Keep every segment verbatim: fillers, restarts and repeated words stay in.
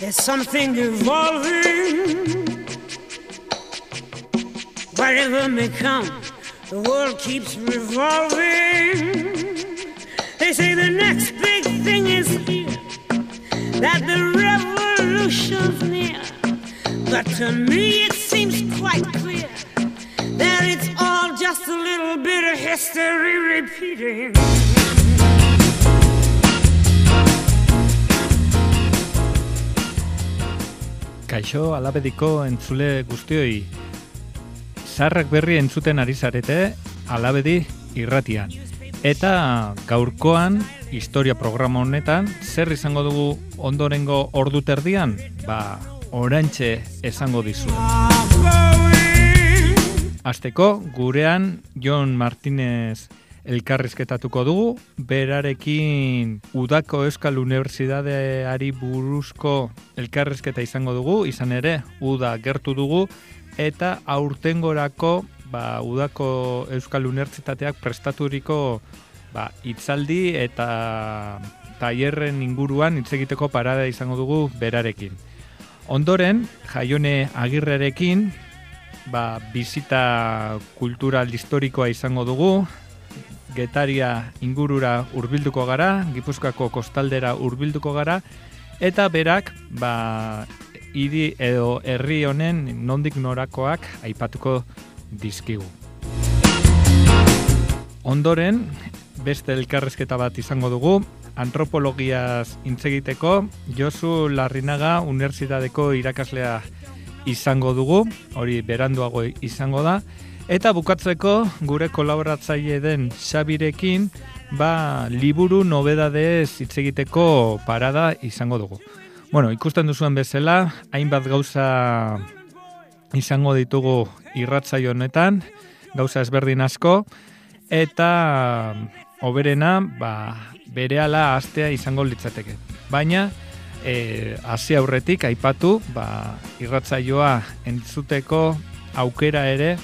There's something evolving. Whatever may come, the world keeps revolving. They say the next big thing is here, that the revolution's near. But to me it seems quite clear that it's all just a little bit of history repeating. Kaixo, Alabediko entzule guztioi. Zaharrak berri entzuten ari zarete, Alabedi irratian. Eta gaurkoan, historia programa honetan, zer izango dugu ondorengo ordu terdian? Ba, orantxe esango dizu. Hasteko, gurean Jon Martinez elkarrizketatuko dugu, berarekin Udako Euskal Unibertsitateari buruzko elkarrizketa izango dugu, izan ere, Uda gertu dugu, eta aurtengorako ba, Udako Euskal Unibertsitateak prestaturiko ba, hitzaldi eta tailerren inguruan hitz egiteko parada izango dugu berarekin. Ondoren, Jaione Agirrerekin ba, bizita kultural historikoa izango dugu, Getaria ingurura hurbilduko gara, Gipuzkoako kostaldera hurbilduko gara, eta berak ba, hiri edo herri honen nondik norakoak aipatuko dizkigu. Ondoren, beste elkarrizketa bat izango dugu, antropologiaz hitz egiteko, Josu Larrinaga Unibertsitateko irakaslea izango dugu, hori beranduago izango da, eta bukatzeko gure kolaboratzaile den Xabirekin ba, liburu nobedadez hitz egiteko parada izango dugu. Bueno, ikusten duzuen bezala, hainbat gauza izango ditugu irratsaio honetan, gauza ezberdin asko, eta hoberena ba, berehala hastea izango litzateke. Baina, e, hasi aurretik aipatu ba, irratsaioa entzuteko aukera ere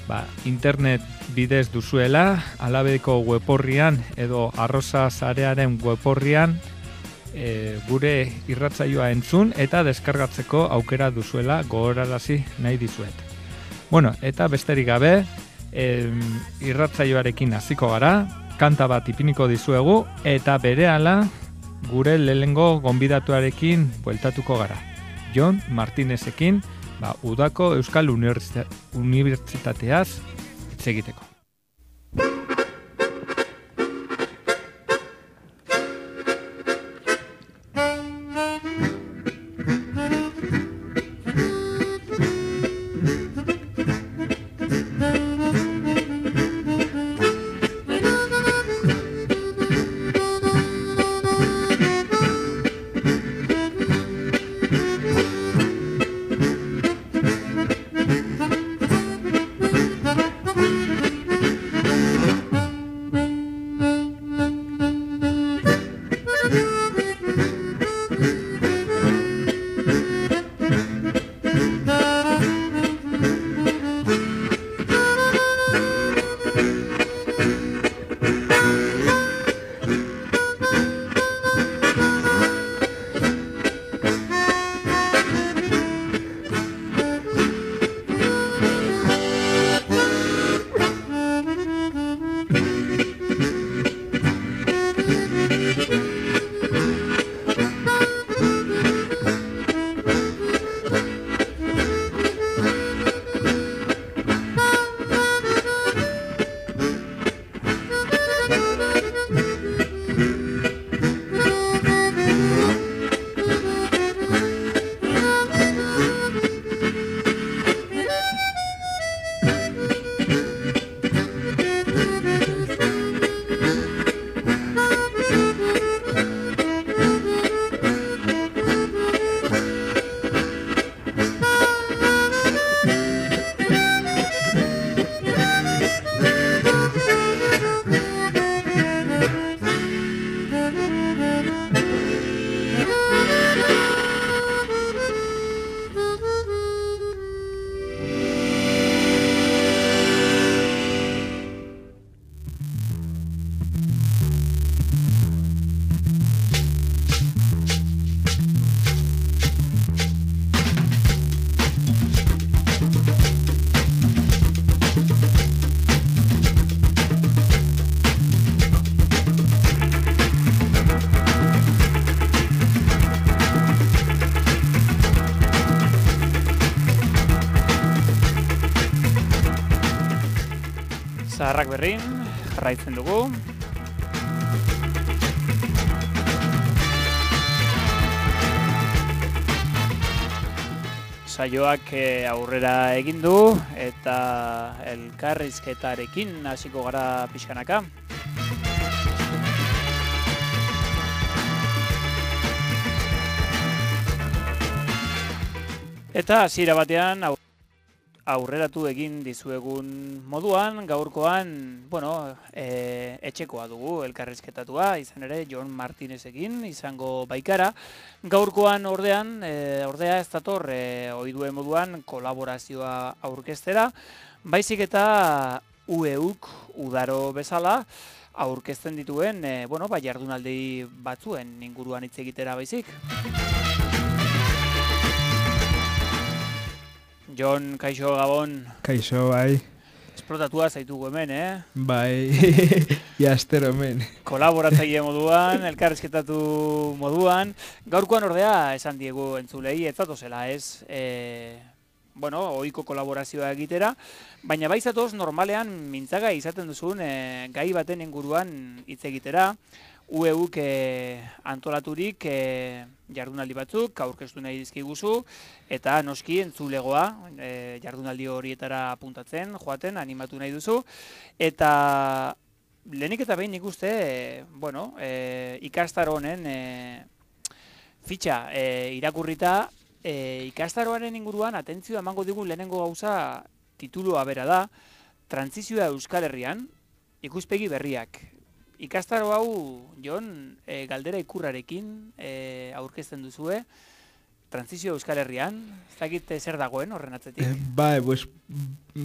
Ba, internet bidez duzuela, Alabediko weborrian edo Arroza Sarearen weborrian e, gure irratsaioa entzun eta deskargatzeko aukera duzuela gogorarazi nahi dizuet. Bueno, eta besterik gabe, e, irratsaioarekin hasiko gara, kanta bat ipiniko dizuegu eta berehala gure lehengo gonbidatuarekin bueltatuko gara. Jon Martinezekin Ba, Udako Euskal Unibertsitateaz hitz egiteko. Zaharrak berrin, jarraitzen dugu. Saioak aurrera egin du eta elkarrizketarekin hasiko gara pixkanaka. Eta hasiera batean aurreratu egin dizuegun moduan, gaurkoan, bueno, e, etxekoa dugu elkarrizketatua, izan ere Jon Martinezekin izango baikara. Gaurkoan ordean, e, ordea ez dator e, ohiduen moduan kolaborazioa aurkeztera, baizik eta U E Uk udaro bezala aurkezten dituen, e, bueno, ba, jardunaldi batzuen inguruan hitz egitera baizik. Jon, kaixo, Gabon. Kaixo, bai. Esplotatua zaitugu hemen, eh? Bai, jastero hemen. Kolaboratzaile moduan, elkarrizketatu moduan. Gaurkoan ordea esan diegu entzulei, ez zatozela ez, e, bueno, ohiko kolaborazioa egitera, baina bai zatoz normalean mintzaga izaten duzun e, gai baten inguruan hitz egitera. U E Uk e, antolaturik e, jardunaldi batzuk aurkeztu nahi dizkiguzu eta noski entzulegoa e, jardunaldi horietara apuntatzen, joaten, animatu nahi duzu. Eta lehenik eta behin nik uste, e, bueno, e, ikastaro honen e, fitxa e, irakurrita, e, ikastaroaren inguruan atentzioa emango digun lehenengo gauza titulua bera da, Trantsizioa Euskal Herrian, ikuspegi berriak. Ikastaro hau, Jon, e, galdera ikurrarekin e, aurkezten duzue, Trantsizio Euskal Herrian, ez dakit zer dagoen horren atzetik? Eh, bai, pues,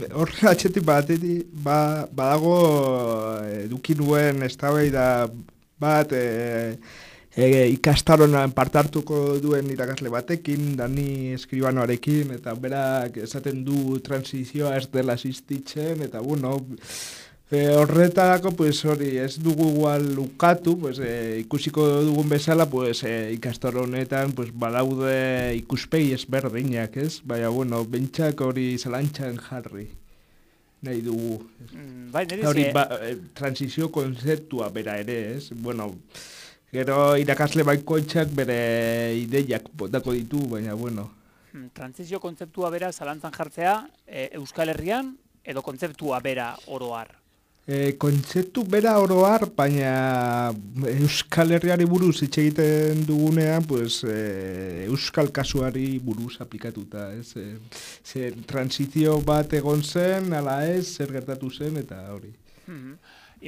horren atzetik batetik, ba, badago eduki nuen eztabaida bat e, e, ikastaroan parte hartuko duen irakasle batekin, Dani Eskribanoarekin, eta berak esaten du trantsizioa ez dela existitzen, eta bueno, E, horretarako, pues, hori, ez dugu igual ukatu, pues, e, ikusiko dugun bezala, pues, e, ikastaro honetan, pues, badaude ikuspegi ezberdinak, ez? Baina, bueno, bentsak hori zalantxan jarri nahi dugu. Mm, bai, nire hori, ze... ba, e, transizio konzeptua bera ere, ez? Bueno, gero irakasle baikoitzak bere ideiak botako ditu, baina, bueno. Trantsizio kontzeptua bera zalantzan jartzea e, Euskal Herrian edo kontzeptua bera oroar? E, kontzeptu bera oroar, baina Euskal Herriari buruz hitz egiten dugunean, pues, e, Euskal kasuari buruz aplikatuta, ez? E, ze transizio bat egon zen, ala ez, zer gertatu zen, eta hori. Mm-hmm.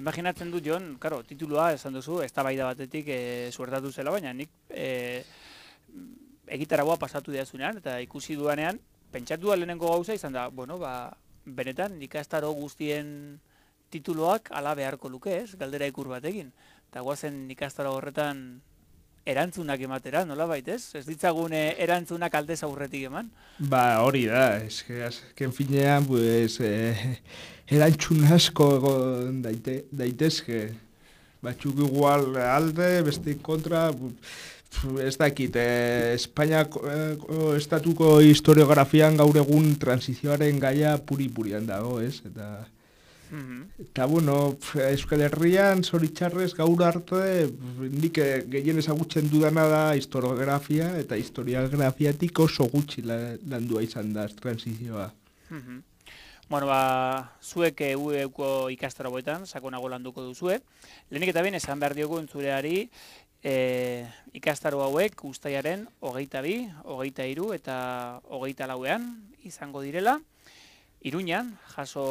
Imaginatzen dut, Jon, karo, titulua esan duzu, eztabaida batetik e, suertatu zela, baina nik e, egitaragoa pasatu diazunean, eta ikusi duanean, pentsatu da lehenengo gauza izan da, bueno, ba, benetan, ikastaro guztien tituloak ala beharko luke, ez? Galdera ikur batekin. Eta guazen ikastaro horretan erantzunak ematera, nola baitez? Ez ditzagun erantzunak aldez aurretik eman? Ba, hori da, eske azken finean, pues, eh, erantzun asko egon daite, daitezke. Batzuk igual alde, beste kontra, ez dakit, eh, Espainiako eh, estatuko historiografian gaur egun transizioaren gaia puri-purian dago, ez? Eta... Mm-hmm. Eta, bueno, Euskal Herrian, zoritxarrez, gaur arte, nik gehien ezagutzen dudana da historiografia, eta historiografiatik oso gutxi landua izan da transizioa. Mm-hmm. Bueno, ba, zuek U E Uko ikastaro boetan, sakonago landuko duzue. Lehenik eta behin esan behar diogu entzuleari, e, ikastaro hauek uztailaren hogeita bi, hogeita hiru eta hogeita lauean izango direla. Iruñan, jaso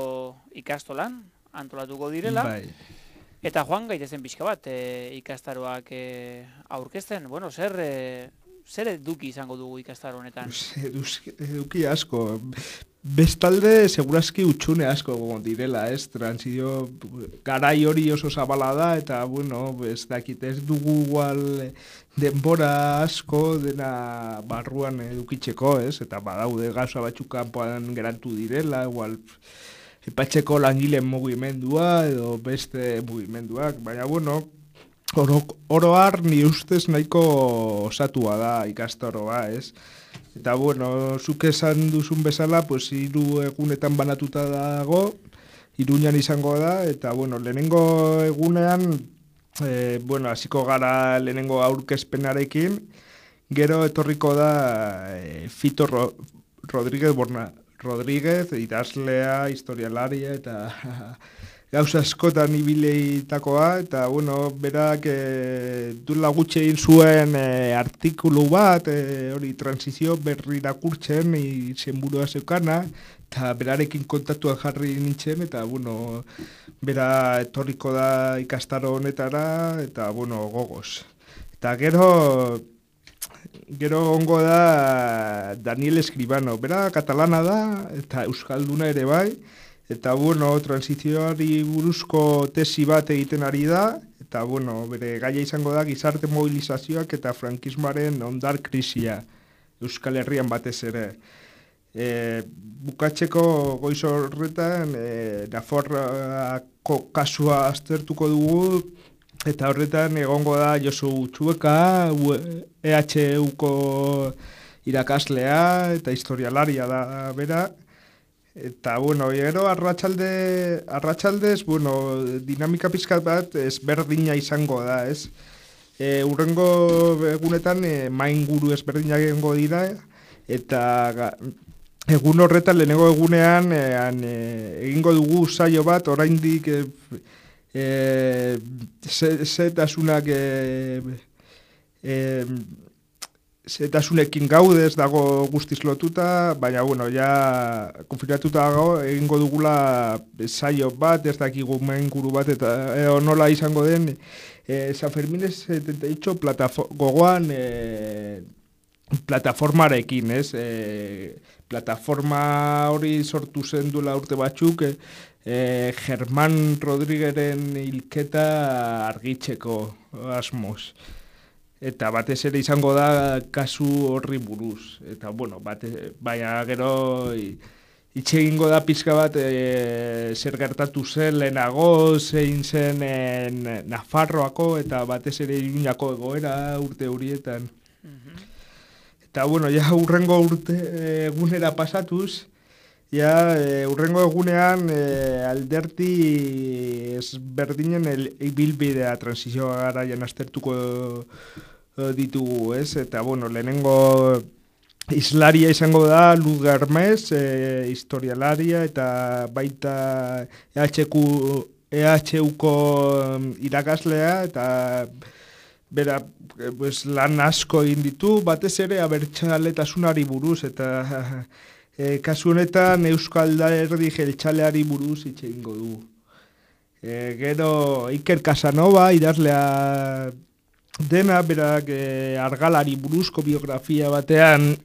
ikastolan, antolatuko direla. Bai. Eta joan gaitezen pixka bat, e, ikastaroak e, aurkezten. Bueno, zer, e, zer eduki izango dugu ikastaro honetan? Eduki asko. Bestalde, segurazki utxune asko direla, ez? Transizio garai hori oso zabala da, eta, bueno, ez dakit, ez dugu igual denbora asko dena barruan edukitzeko, ez? Eta badaude gauza batzuk kanpoan geratu direla, igual epatxeko langileen mugimendua edo beste mugimenduak, baina, bueno, oro, oroar ni ustez nahiko osatua da ikastoroa, ez? Eta, bueno, zuk esan duzun bezala, pues, hiru egunetan banatuta dago, Iruñan izango da, eta, bueno, lehenengo egunean, e, bueno, hasiko gara lehenengo aurkezpenarekin, gero etorriko da e, Fito Ro, Rodríguez Borna, Rodríguez, idazlea, historialaria, eta gauza askotan ibileitakoa, eta, bueno, berak e, duela gutxi egin zuen e, artikulu bat, e, hori transizio berri irakurtzen, izenburua zeukana, eta berarekin kontaktuan jarri nintzen, eta, bueno, bera etorriko da ikastaro honetara, eta, bueno, gogoz. Eta gero, gero ongo da Daniel Escribano, bera katalana da, eta euskalduna ere bai, eta, bueno, transizioari buruzko tesi bat egiten ari da, eta, bueno, bere gaia izango da gizarte mobilizazioak eta frankismoaren ondar krisia, Euskal Herrian batez ere. E, bukatzeko goiz horretan, e, Nafarroako kasua aztertuko dugu, eta horretan egongo da Josu Txueka, E H Uko irakaslea, eta historialaria da bera. Eta, bueno, gero arratsalde, arratsaldez, bueno, dinamika pizkat bat ezberdina izango da, ez? E, urrengo egunetan e, mainguru ezberdinak egongo dira, eta egun horretan lehenengo egunean e, an, e, egingo dugu saio bat, oraindik e, e, zetasunak e, e, zetasunekin gaudez dago guztiz lotuta, baina, bueno, ja konfirmatuta dago, egingo dugula saio bat, ez dakigu mainguru bat, eta e, nola izango den, e, San Fermines setenta y ocho gogoan e, plataformarekin, ez? E, plataforma hori sortu zen duela urte batzuk, e, e, Germán Rodrígueren hilketa argitzeko asmoz. Eta batez ere izango da kasu horri buruz. Eta, bueno, bate, baina gero itxe egingo da pizka bat e, zer gertatu zen lehenago, zein zen en, Nafarroako eta batez ere Iruñako egoera urte horietan. Mm-hmm. Eta, bueno, ja urrengo urte egunera pasatuz, ja e, urrengo egunean e, alderti ezberdinen ibilbidea transizioa garaian aztertuko ditugu, ez? Eta, bueno, lehenengo islaria izango da Luz Garmez, e, historialaria, eta baita E H Uko irakaslea, eta bera, pues, lan asko egin ditu, batez ere abertzaletasunari buruz, eta e, kasu honetan Euskal Alderdi jeltzaleari buruz hitz egingo du. E, gero Iker Casanova, idazlea dena, berak e, argalari buruzko biografia batean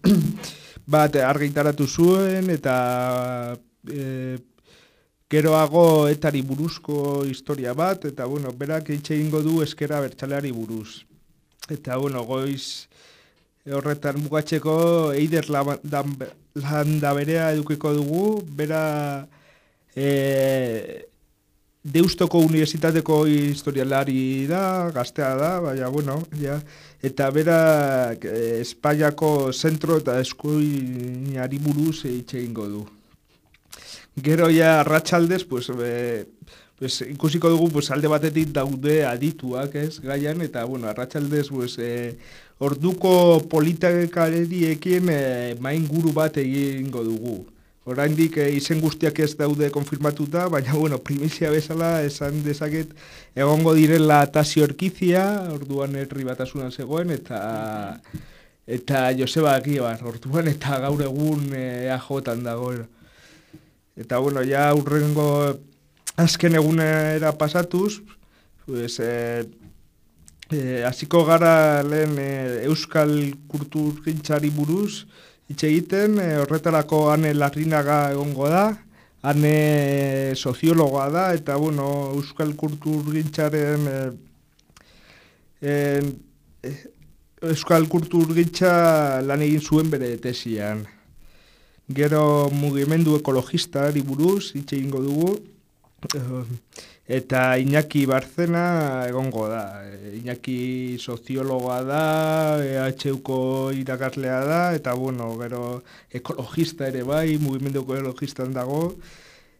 bat argitaratu zuen, eta e, geroago etari buruzko historia bat, eta, bueno, berak hitz egingo du ezker abertzaleari buruz. Eta, bueno, goiz horretan bukatzeko Eider Landaberea edukiko dugu, bera e, Deustoko Unibertsitateko historialari da, gaztea da, baina, bueno, ja, eta bera e, Espainiako zentro eta eskuinari buruz hitz egingo du. Gero ja arratsaldez, pues, e, pues, ikusiko dugu pues, alde batetik daude adituak, ez, gaian, eta, bueno, arratsaldez, pues, e, orduko politikariekin e, mainguru bat egingo dugu. Oraindik e, izen guztiak ez daude konfirmatuta, baina, bueno, primizia bezala esan dezaket egongo direla Tasio Erkizia, orduan herri batasunan zegoen, eta eta Joseba Agibar, orduan, eta gaur egun e, A J-an dagoen. Eta, bueno, ja urrengo azken egunera pasatuz, pues, e, e, hasiko gara lehen e, Euskal Kulturgintzari buruz, hitz egiten, e, horretarako Ane Larrinaga egongo da, Ane soziologoa da, eta, bueno, Euskal Kulturgintzaren e, e, Euskal Kulturgintza lan egin zuen bere tesian. Gero mugimendu ekologistari buruz hitz egingo dugu, eta Iñaki Barzena egongo da. Iñaki soziologoa da, E H Uko irakaslea da, eta, bueno, gero ekologista ere bai, mugimendu ekologistan dago.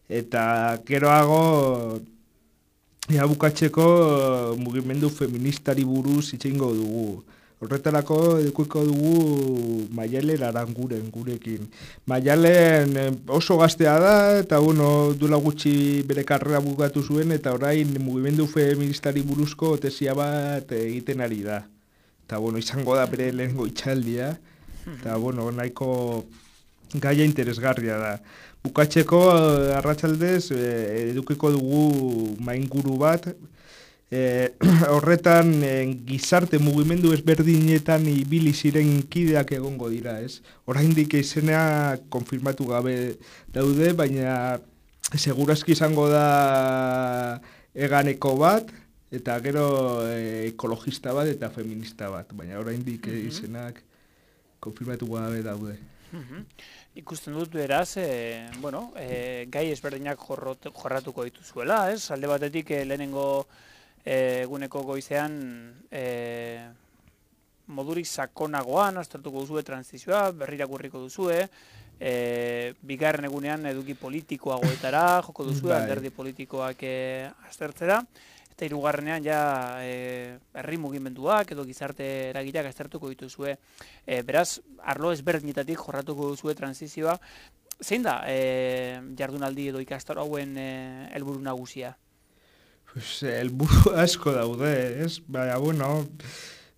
Eta geroago, ja bukatzeko mugimendu feministari buruz hitz egingo dugu. Horretarako edukiko dugu Maialen Aranguren gurekin. Maialen oso gaztea da, eta bueno, duela gutxi bere karrera bukatu zuen, eta orain mugimendu feministari buruzko tesia bat egiten ari da. Eta bueno, izango da bere lehengo itxaldia, eta bueno, nahiko gaia interesgarria da. Bukatzeko arratsaldez edukiko dugu mainguru bat, E, horretan e, gizarte mugimendu ezberdinetan ibili ziren kideak egongo dira, ez? Oraindik izena konfirmatu gabe daude, baina segurazki izango da eganeko bat, eta gero e, ekologista bat eta feminista bat, baina oraindik mm-hmm. izenak konfirmatu gabe daude. Mm-hmm. Ikusten dut beraz, e, bueno, e, gai ezberdinak jorrot, jorratuko dituzuela, ez? Alde batetik e, lehenengo eguneko goizean e, modurik sakonagoan aztertuko duzue transizioa, berrirakurriko duzue, e, bigarren egunean eduki politikoagoetara joko duzue, alderdi politikoak e, aztertzera, eta hirugarrenean ja e, herri mugimenduak edo gizarte eragileak aztertuko dituzue. E, beraz, arlo ezberdinetatik jorratuko duzue transizioa. Zein da e, jardunaldi edo ikastaro hauen e, helburu nagusia? Pues, helburu asko daude, ez? Baina, bueno,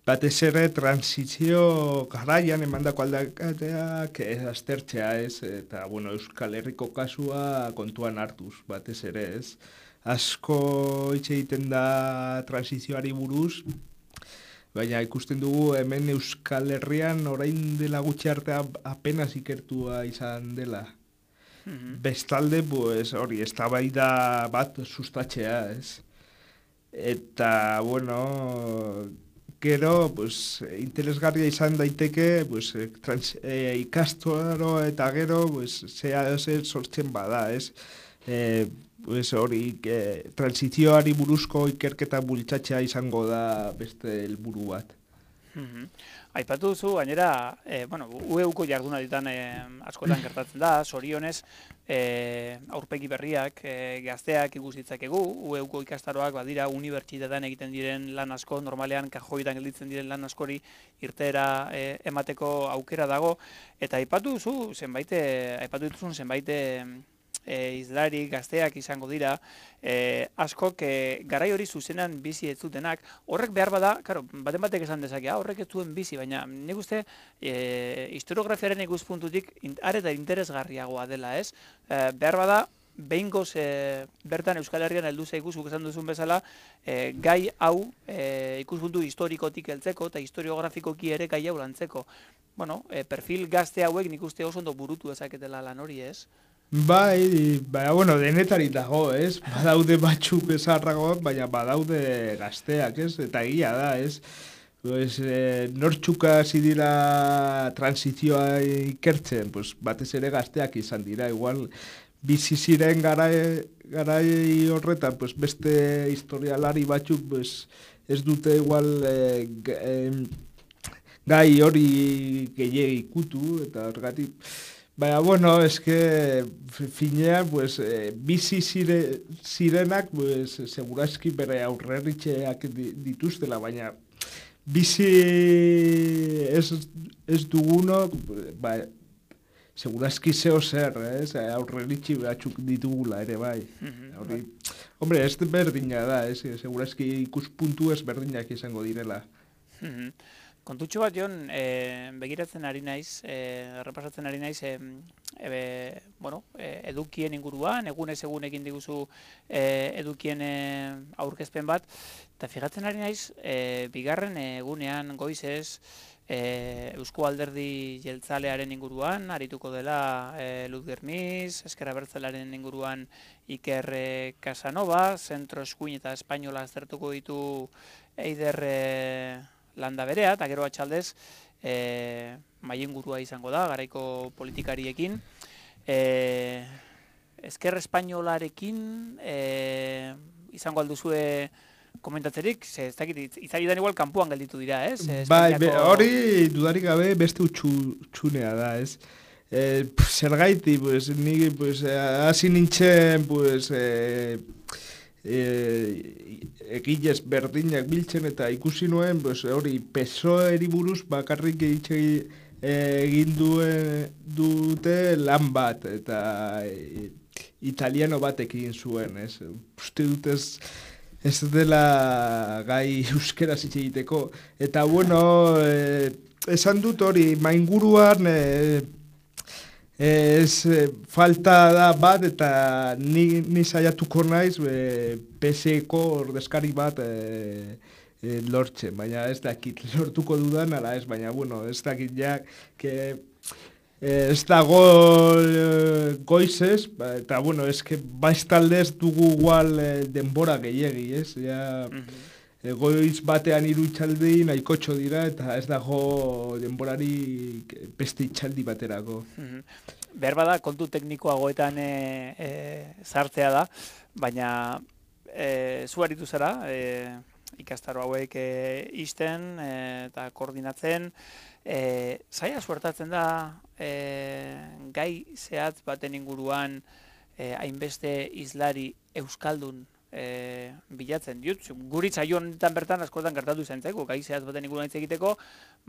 batez ere transizio garaian emandako aldakateak aztertzea, ez? Eta, bueno, Euskal Herriko kasua kontuan hartuz, batez ere, ez? Asko hitz egiten da transizioari buruz, baina ikusten dugu hemen Euskal Herrian orain dela gutxi arte apenas ikertua izan dela. Bestalde, pues, hori, eztabaida bat sustatzea, ez? Eta, bueno, gero, pues, interesgarria izan daiteke, pues, trans, e, ikastaro eta gero, pues, zea zer sortzen bada, ez? E, pues, hori, e, transizioari buruzko ikerketa bultzatzea izango da beste helburu bat. Mm-hmm. Aipatu duzu, gainera, e, bueno, U E Uko jardunalditan e, askotan gertatzen da, zorionez, e, aurpegi berriak, e, gazteak ikus ditzakegu, U E Uko ikastaroak badira unibertsitatean egiten diren lan asko, normalean kajoitan gelditzen diren lan askori irteera e, emateko aukera dago, eta aipatu duzu, zenbait, aipatu dituzun zenbait E, izlari gazteak izango dira, e, askok e, garai hori zuzenan bizi ez zutenak, horrek behar bada, karo, baten batek esan dezakea, horrek ez zuen bizi, baina nik uste e, historiografiaren ikuspuntutik are eta interesgarriagoa dela, ez? E, behar bada, behingoz e, bertan Euskal Herrian heldu zaigu zuk esan duzun bezala, e, gai hau e, ikuspuntu historikotik heltzeko eta historiografikoki ere gai hau lantzeko. Bueno, e, perfil gazte hauek nik uste oso ondo burutu ezaketela lan hori, ez? Bai, baina, bueno, denetari dago, ez? Badaude batzuk ezarragoak, baina badaude gazteak, ez? Eta egia da, ez? Pues, eh, nortxuka hasi dira transizioa ikertzen, pues, batez ere gazteak izan dira, igual bizi ziren garai, garai horretan, pues, beste historialari batzuk, pues, ez dute igual eh, eh, gai hori gehiegi ikutu, eta horregatik. Baina, bueno, eske finean, pues, eh, bizi zire, zirenak, pues, segurazki bere aurreritxeak dituztela, baina bizi ez, ez dugunok, ba, segurazki zeo zer, ez? Aurreritxe batzuk ditugula ere, bai. Hori, hombre, ez berdina da, ez? Segurazki ikuspuntu ez berdinak izango direla. Kontutxo bat, Jon, e, begiratzen ari naiz, e, repasatzen ari naiz, e, e, bueno, e, edukien inguruan, egunez egun egin diguzu e, edukien e, aurkezpen bat, eta fijatzen ari naiz, e, bigarren egunean goizez, e, Eusko Alderdi Jeltzalearen inguruan, arituko dela e, Luz Gerniz, Ezker Abertzalearen inguruan Iker e, Casanova, Zentro Eskuin eta Espainola aztertuko ditu Eider e, landa berea, eta gero atxaldez e, maien gurua izango da, garaiko politikariekin. E, Ezker Espainolarekin e, izango alduzue komentatzerik, ze ez dakit, izaidan igual kanpoan gelditu dira, ez? Bai, be, hori dudarik gabe beste utxunea da, ez? eh, zer gaiti, pues, ni, pues, hasi nintzen, pues, eh, eh, egilez berdinak biltzen eta ikusi nuen, pues, hori, pesoeri buruz bakarrik egitxe egin duen dute lan bat, eta e, italiano batekin zuen, ez? Uste dut ez, ez dela gai euskeraz hitz egiteko. Eta, bueno, e, esan dut hori, mainguruan e, ez e, falta da bat, eta ni, ni saiatuko naiz e, P S E-ko ordezkari bat e, e, lortzen, baina ez dakit lortuko dudan, ala ez, baina, bueno, ez dakit ja, que ez dago e, goizez, ba, eta, bueno, ez que baiztaldez dugu igual e, denbora gehiegi, ez, ja, e, goiz batean hiru itxaldi nahikotxo dira, eta ez dago denborari beste itxaldi baterako. Behar bada, kontu teknikoagoetan e, e, sartzea da, baina e, zu aritu zara, e, ikastaro hauek e, isten e, eta koordinatzen, e, zaila suertatzen da e, gai zehatz baten inguruan e, hainbeste hizlari euskaldun e, bilatzen diut. Guri saio honetan bertan askotan gertatu izan zaigu, gai zehatz baten inguruan hitz egiteko,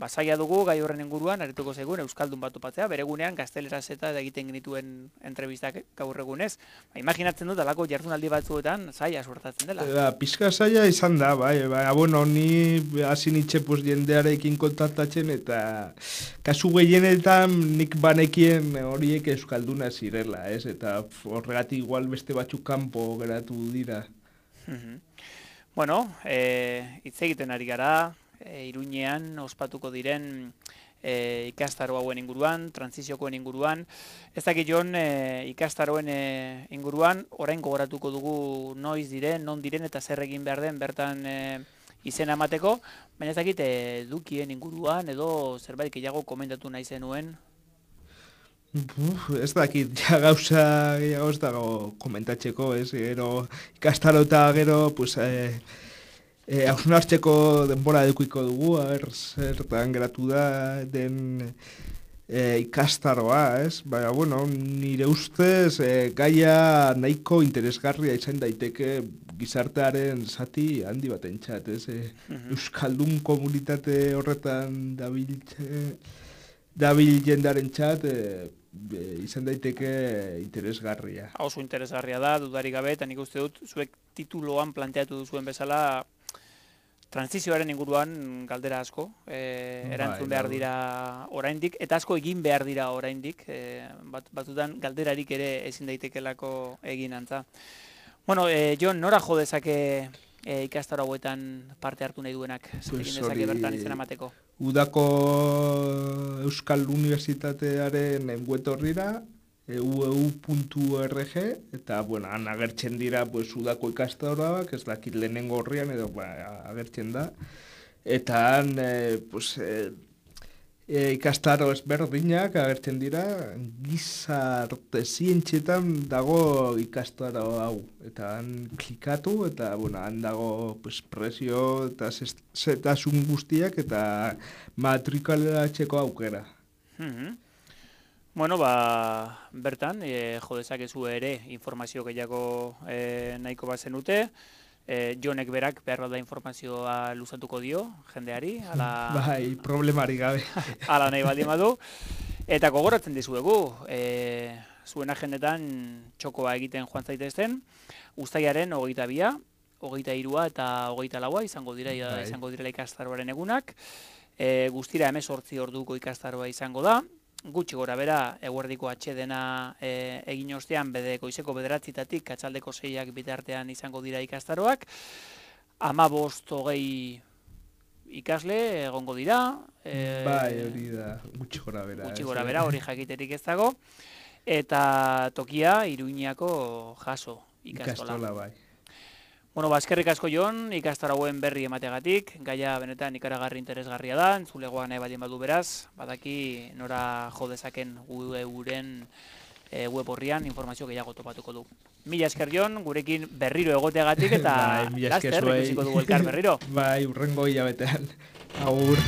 basaia dugu gai horren inguruan arituko zaigun euskaldun bat topatzea, bere gunean gazteleraz eta egiten genituen entrevistak gaur egunez. Ba, imaginatzen dut alako jardunaldi batzuetan zaila suertatzen dela. Ba, pizka zaila izan da, bai, bai, bueno, ni hasi nitxe pues, jendearekin kontaktatzen eta kasu gehienetan nik banekien horiek euskalduna zirela, ez? Eta horregatik igual beste batzuk kanpo geratu dira. Bueno, e, hitz egiten ari gara, e, Iruñean ospatuko diren e, ikastaro hauen inguruan, transiziokoen inguruan. Ez dakit Jon, e, ikastaroen e, inguruan, orain gogoratuko dugu noiz diren, non diren eta zer egin behar den bertan e, izena emateko, baina ez dakit edukien inguruan edo zerbait gehiago komentatu nahi zenuen. Uf, ez dakit, ja gauza gehiago ez dago komentatzeko, ez, gero ikastaro eta gero, pues, eh, eh, hausnartzeko denbora edukiko dugu, haber, zertan geratu da den eh, ikastaroa, ez, baina, bueno, nire ustez eh, gaia nahiko interesgarria izan daiteke gizartearen zati handi batentzat, ez, eh, uh-huh. Euskaldun komunitate horretan dabil, dabil jendaren txat, eh, Be, izan daiteke interesgarria. Oso interesgarria da, dudarik gabe, eta nik uste dut, zuek tituloan planteatu duzuen bezala, transizioaren inguruan galdera asko, e, erantzun behar dira oraindik, eta asko egin behar dira oraindik, e, bat, batutan galderarik ere ezin daitekelako egin antza. Bueno, e, Jon, nora jo dezake e, ikastaro hauetan parte hartu nahi duenak, zer egin dezake bertan izena emateko? Udako Euskal Unibertsitatearen web orrira, u e u puntu org, eta, bueno, han agertzen dira, pues, udako ikastaroak, ez dakit lehenengo horrian, edo, ba, agertzen da. Eta han, eh, pues, eh, e, ikastaro ezberdinak agertzen dira, gizarte zientzietan dago ikastaro hau. Eta han klikatu, eta, bueno, han dago, pues, presio eta zetasun guztiak, eta matrikulatzeko aukera. Mm-hmm. Bueno, ba, bertan, e, jo dezakezu ere informazio gehiago e, nahiko bat zenute. E, Jonek berak behar da informazioa luzatuko dio, jendeari. Ala, bai, problemari gabe. Ala nahi baldin badu. Eta gogoratzen dizuegu, e, zuen agendetan txokoa egiten joan zaitezten, uztailaren hogeita bia, hogeita hirua eta hogeita laua izango dira, bai. izango direla ikastaroaren egunak. E, guztira hemezortzi orduko ikastaroa izango da. Gutxi gora bera, eguerdiko atxedena e, egin ostean, bede goizeko bederatzitatik, atxaldeko seiak bitartean izango dira ikastaroak. Hamabost hogei ikasle egongo dira. E, bai, hori da, gutxi gora bera. Gutxi gora bera, hori jakiterik ez dago. Eta tokia, Iruñako jaso ikastola. Ikastola, bai. Bueno, ba, eskerrik asko Jon, ikastarauen berri emateagatik, gaia benetan ikaragarri interesgarria da, entzulegoa nahi badien badu beraz, badaki nora jo dezaken guren e, web horrian informazio gehiago topatuko du. Mila esker Jon, gurekin berriro egoteagatik eta bai, laster ikusiko dugu elkar berriro. Bai, urrengo hilabetean. Agur.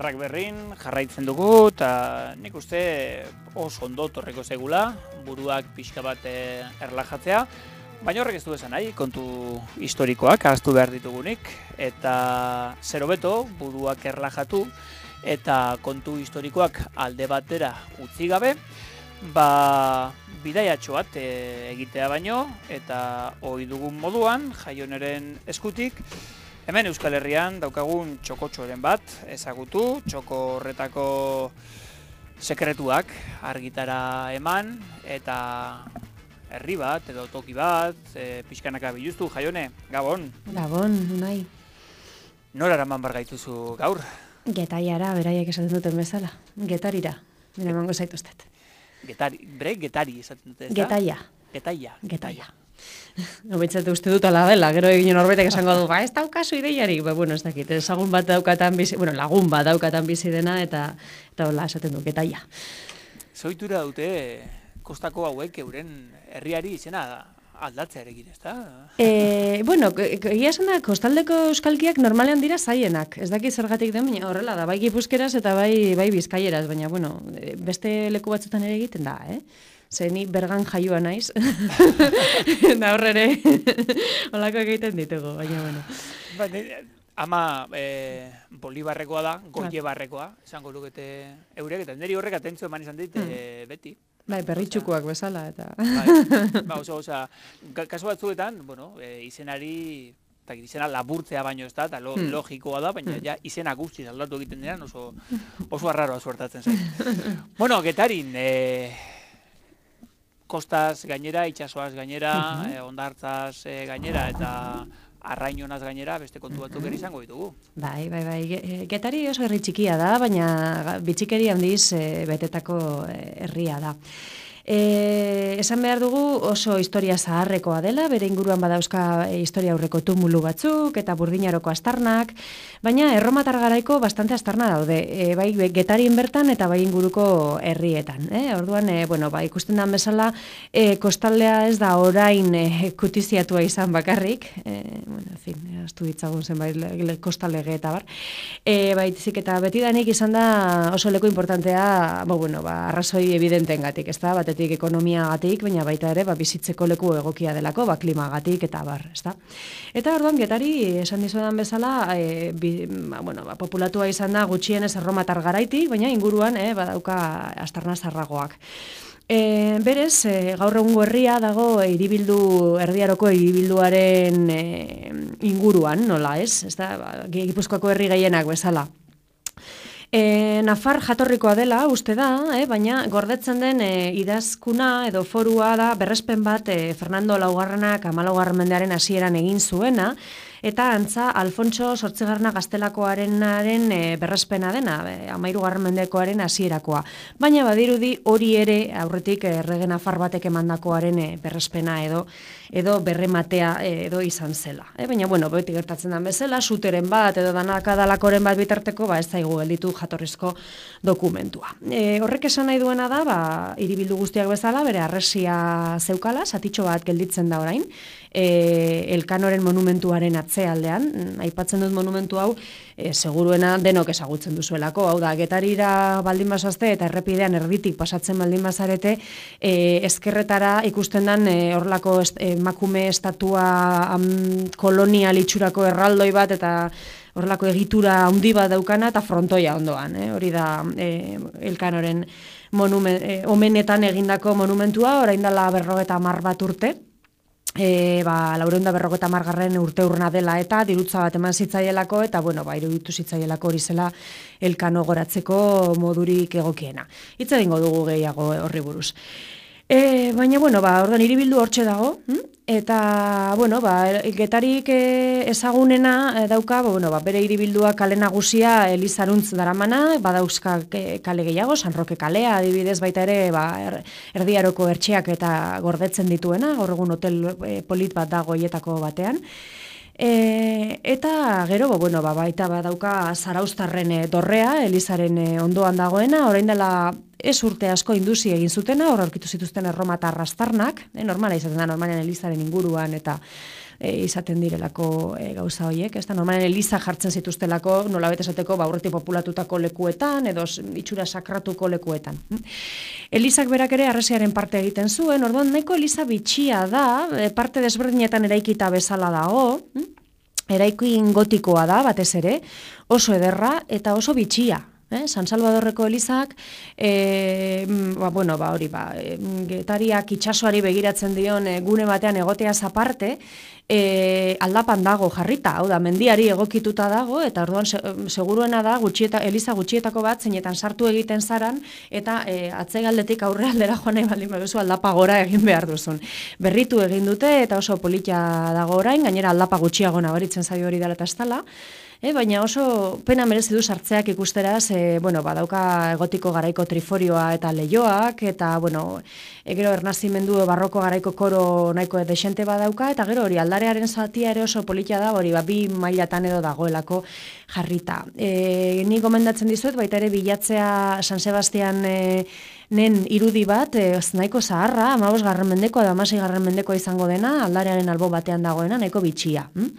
beharrak berrin jarraitzen dugu, eta nik uste oso ondo torreko zegula, buruak pixka bat erlajatzea, baina horrek ez du esan nahi, kontu historikoak ahaztu behar ditugunik, eta zer hobeto buruak erlajatu, eta kontu historikoak alde batera utzi gabe, ba bidaiatxo bat e, egitea baino, eta ohi dugun moduan, Jaioneren eskutik, hemen Euskal Herrian daukagun txokotxoren bat ezagutu, txoko horretako sekretuak argitara eman, eta herri bat edo toki bat, e, pixkanaka biluztu. Jaione, Gabon. Gabon, nahi. Nora eraman bar gaituzu gaur? Getaiara, beraiek esaten duten bezala. Getarira, mire emango zaituztet. Getari, bre, getari esaten dute, ez da? Getaia. Getaia. Getaia. Nobentzate uste dut ala dela, gero egin norbaitek esango du, ba, ez daukazu ideiarik, ba, bueno, ez dakit, ezagun bat daukatan bizi, bueno, lagun bat daukatan bizi dena, eta, eta hola, esaten du, getaia. Zoitura dute, kostako hauek euren herriari izena aldatzea erekin, ez da? E, bueno, egia esan da, kostaldeko euskalkiak normalean dira zaienak, ez dakit zergatik den, baina horrela da, bai gipuzkeraz eta bai, bai bizkaieraz, baina, bueno, beste leku batzutan ere egiten da, eh? Ze ni bergan jaioa naiz, da horre holako egiten ditugu, baina, bueno. Ba, ama e, Bolibarrekoa da, Goie barrekoa, esango lukete eurek, eta niri horrek atentzio eman izan dit, e, beti. Bai, perritxukoak bezala, eta... Bai, ba, oso, oza, kasu batzuetan, bueno, e, izenari, eta izena laburtzea baino ez da, eta lo, hmm. logikoa da, baina hmm. ja izena guztiz aldatu egiten dira, oso, oso arraroa suertatzen zait. Bueno, Getarin, e, kostaz gainera, itxasoaz gainera, uh-huh. e, ondartzaz e, gainera, eta arrainonaz gainera, beste kontu batzuk ere izango ditugu. Bai, bai, bai. Getari oso herri txikia da, baina bitxikeri handiz e, betetako herria da. E, esan behar dugu oso historia zaharrekoa dela, bere inguruan badauzka e, historia aurreko tumulu batzuk eta burdinaroko astarnak, baina erromatar garaiko bastante astarna daude, e, bai Getarien bertan eta bai inguruko herrietan. Eh? Orduan, e, bueno, ba, ikusten den bezala, e, kostaldea ez da orain e, kutiziatua izan bakarrik, e, bueno, en fin, astu ditzagun zenbait kostaldege eta bar, e, baitzik eta betidanik izan da oso leku importantea, bo, bueno, ba, arrazoi evidentengatik, ez da, batetik ekonomiagatik, baina baita ere ba, bizitzeko leku egokia delako, ba, klimagatik eta bar, ezta. Eta orduan Getari esan dizudan bezala, e, bi, ba, bueno, ba, populatua izan da gutxienez erromatar garaitik, baina inguruan e, badauka astarna zarragoak. E, berez, e, gaur egungo herria dago e, hiribildu erdiaroko hiribilduaren e, inguruan, nola ez? Ezta, ba, Gipuzkoako herri gehienak bezala. E, Nafar jatorrikoa dela, uste da, eh, baina gordetzen den e, idazkuna edo forua da berrespen bat e, Fernando Laugarrenak hamalaugarren mendearen hasieran egin zuena, eta antza Alfonso zortzigarrena gaztelakoarenaren e, berrespena dena, e, hamahirugarren mendekoaren hasierakoa. Baina badirudi hori ere aurretik errege nafar batek emandakoaren e, berrespena edo edo berrematea e, edo izan zela. E, baina, bueno, beti gertatzen den bezala, suteren bat edo danakadalakoren bat bitarteko, ba, ez zaigu gelditu jatorrizko dokumentua. E, horrek esan nahi duena da, ba, hiribildu guztiak bezala, bere arresia zeukala, zatitxo bat gelditzen da orain, e, Elkanoren monumentuaren atzealdean, aipatzen dut monumentu hau, e, seguruena denok ezagutzen duzuelako, hau da, Getarira baldin basazte eta errepidean erditik pasatzen baldin bazarete, e, ezkerretara ikusten den e, horlako emakume estatua am, kolonial itxurako erraldoi bat eta horrelako egitura handi bat daukana eta frontoia ondoan, eh? Hori da eh, Elkanoren monumen, eh, omenetan egindako monumentua, orain dela berrogeta hamar bat urte, e, ba, laureun da berrogeta hamargarren urte urna dela eta dirutza bat eman zitzaielako eta bueno, ba, iruditu zitzaielako hori zela Elkano goratzeko modurik egokiena. Hitz egingo dugu gehiago horri buruz. E, baina, bueno, ba, orduan hiribildu hortxe dago, hm? Eta, bueno, ba, Getarik ezagunena dauka, bueno, ba, bere hiribildua kale nagusia Elizaruntz daramana, badauzka kale gehiago, San Roke kalea, adibidez baita ere, ba, er, erdiaroko ertxeak eta gordetzen dituena, gaur egun hotel e, polit bat dago hietako batean. E, eta gero, bueno, ba, baita badauka Zarauztarren dorrea, Elizaren ondoan dagoena, orain dela ez urte asko induzi egin zutena, hor aurkitu zituzten erromatar rastarnak, e, normala izaten da, normalen elizaren inguruan eta e, izaten direlako e, gauza horiek, ez da, normalen eliza jartzen zituztelako, nolabait esateko, ba, aurretik populatutako lekuetan, edo itxura sakratuko lekuetan. Elizak berak ere harresiaren parte egiten zuen, orduan nahiko eliza bitxia da, e, parte desberdinetan eraikita bezala dago, eraikin gotikoa da, batez ere, oso ederra eta oso bitxia. Eh? San Salvadorreko elizak, e, ba, bueno, ba, hori, ba, Getariak itsasoari begiratzen dion e, gune batean egoteaz aparte, e, aldapan dago jarrita, hau da, mendiari egokituta dago, eta orduan se, seguruena da, gutxieta, eliza gutxietako bat, zeinetan sartu egiten zaran, eta e, atzegaldetik aurre aldera joan nahi baldin baduzu aldapa gora egin behar duzun. Berritu egin dute, eta oso politia dago orain, gainera aldapa gutxiago nabaritzen zaio hori dela eta estala, E, baina oso pena merezi du sartzeak ikusteraz, e, bueno, badauka egotiko garaiko triforioa eta leioak, eta, bueno, e, gero ernazimendu barroko garaiko koro nahiko desente badauka, eta gero hori aldarearen zatia ere oso politia da, hori ba, bi mailatan edo dagoelako jarrita. E, ni gomendatzen dizuet, baita ere bilatzea San Sebastian e, nen irudi bat, e, nahiko zaharra, amabos garren mendeko edo amasei garren mendeko izango dena, aldarearen albo batean dagoena, nahiko bitxia. Hm?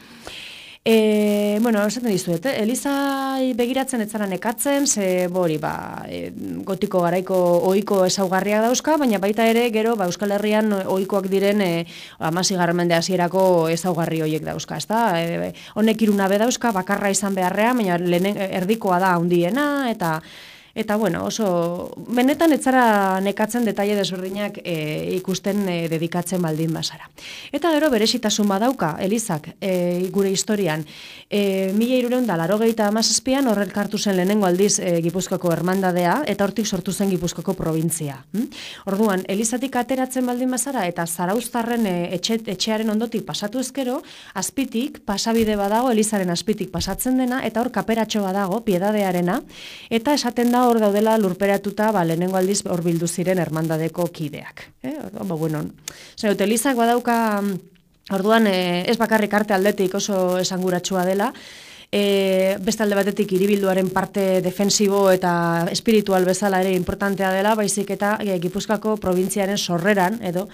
E, bueno, esaten dizuet, eh? Eliza begiratzen etzara nekatzen, ze bori, ba, e, gotiko garaiko ohiko ezaugarriak dauzka, baina baita ere, gero, ba, Euskal Herrian ohikoak diren e, amasi garren mende hasierako ezaugarri horiek dauzka, ezta? E, honek irunabe dauzka, bakarra izan beharrean, baina lehen erdikoa da handiena, eta Eta, bueno, oso, benetan etzara nekatzen detaile desberdinak e, ikusten e, dedikatzen baldin bazara. Eta gero berezitasun badauka, Elizak, e, gure historian, e, mila hirureun da laurogeita hamazazpian horrelkartu zen lehenengo aldiz e, Gipuzkoako hermandadea, eta hortik sortu zen Gipuzkoako probintzia. Hm? Orduan, Elizatik ateratzen baldin bazara, eta Zarauztarren e, etxe, etxearen ondotik pasatu ezkero, azpitik, pasabide badago, Elizaren azpitik pasatzen dena, eta hor kaperatxo badago, piedadearena, eta esaten da hor daudela lurperatuta, ba, lehenengo aldiz hor bildu ziren hermandadeko kideak. Eh? Ba, bueno, zer, Elizak badauka, orduan, eh, ez bakarrik arte aldetik oso esanguratsua dela, e, beste alde batetik hiribilduaren parte defensibo eta espiritual bezala ere importantea dela, baizik eta e, Gipuzkoako probintziaren sorreran, edo,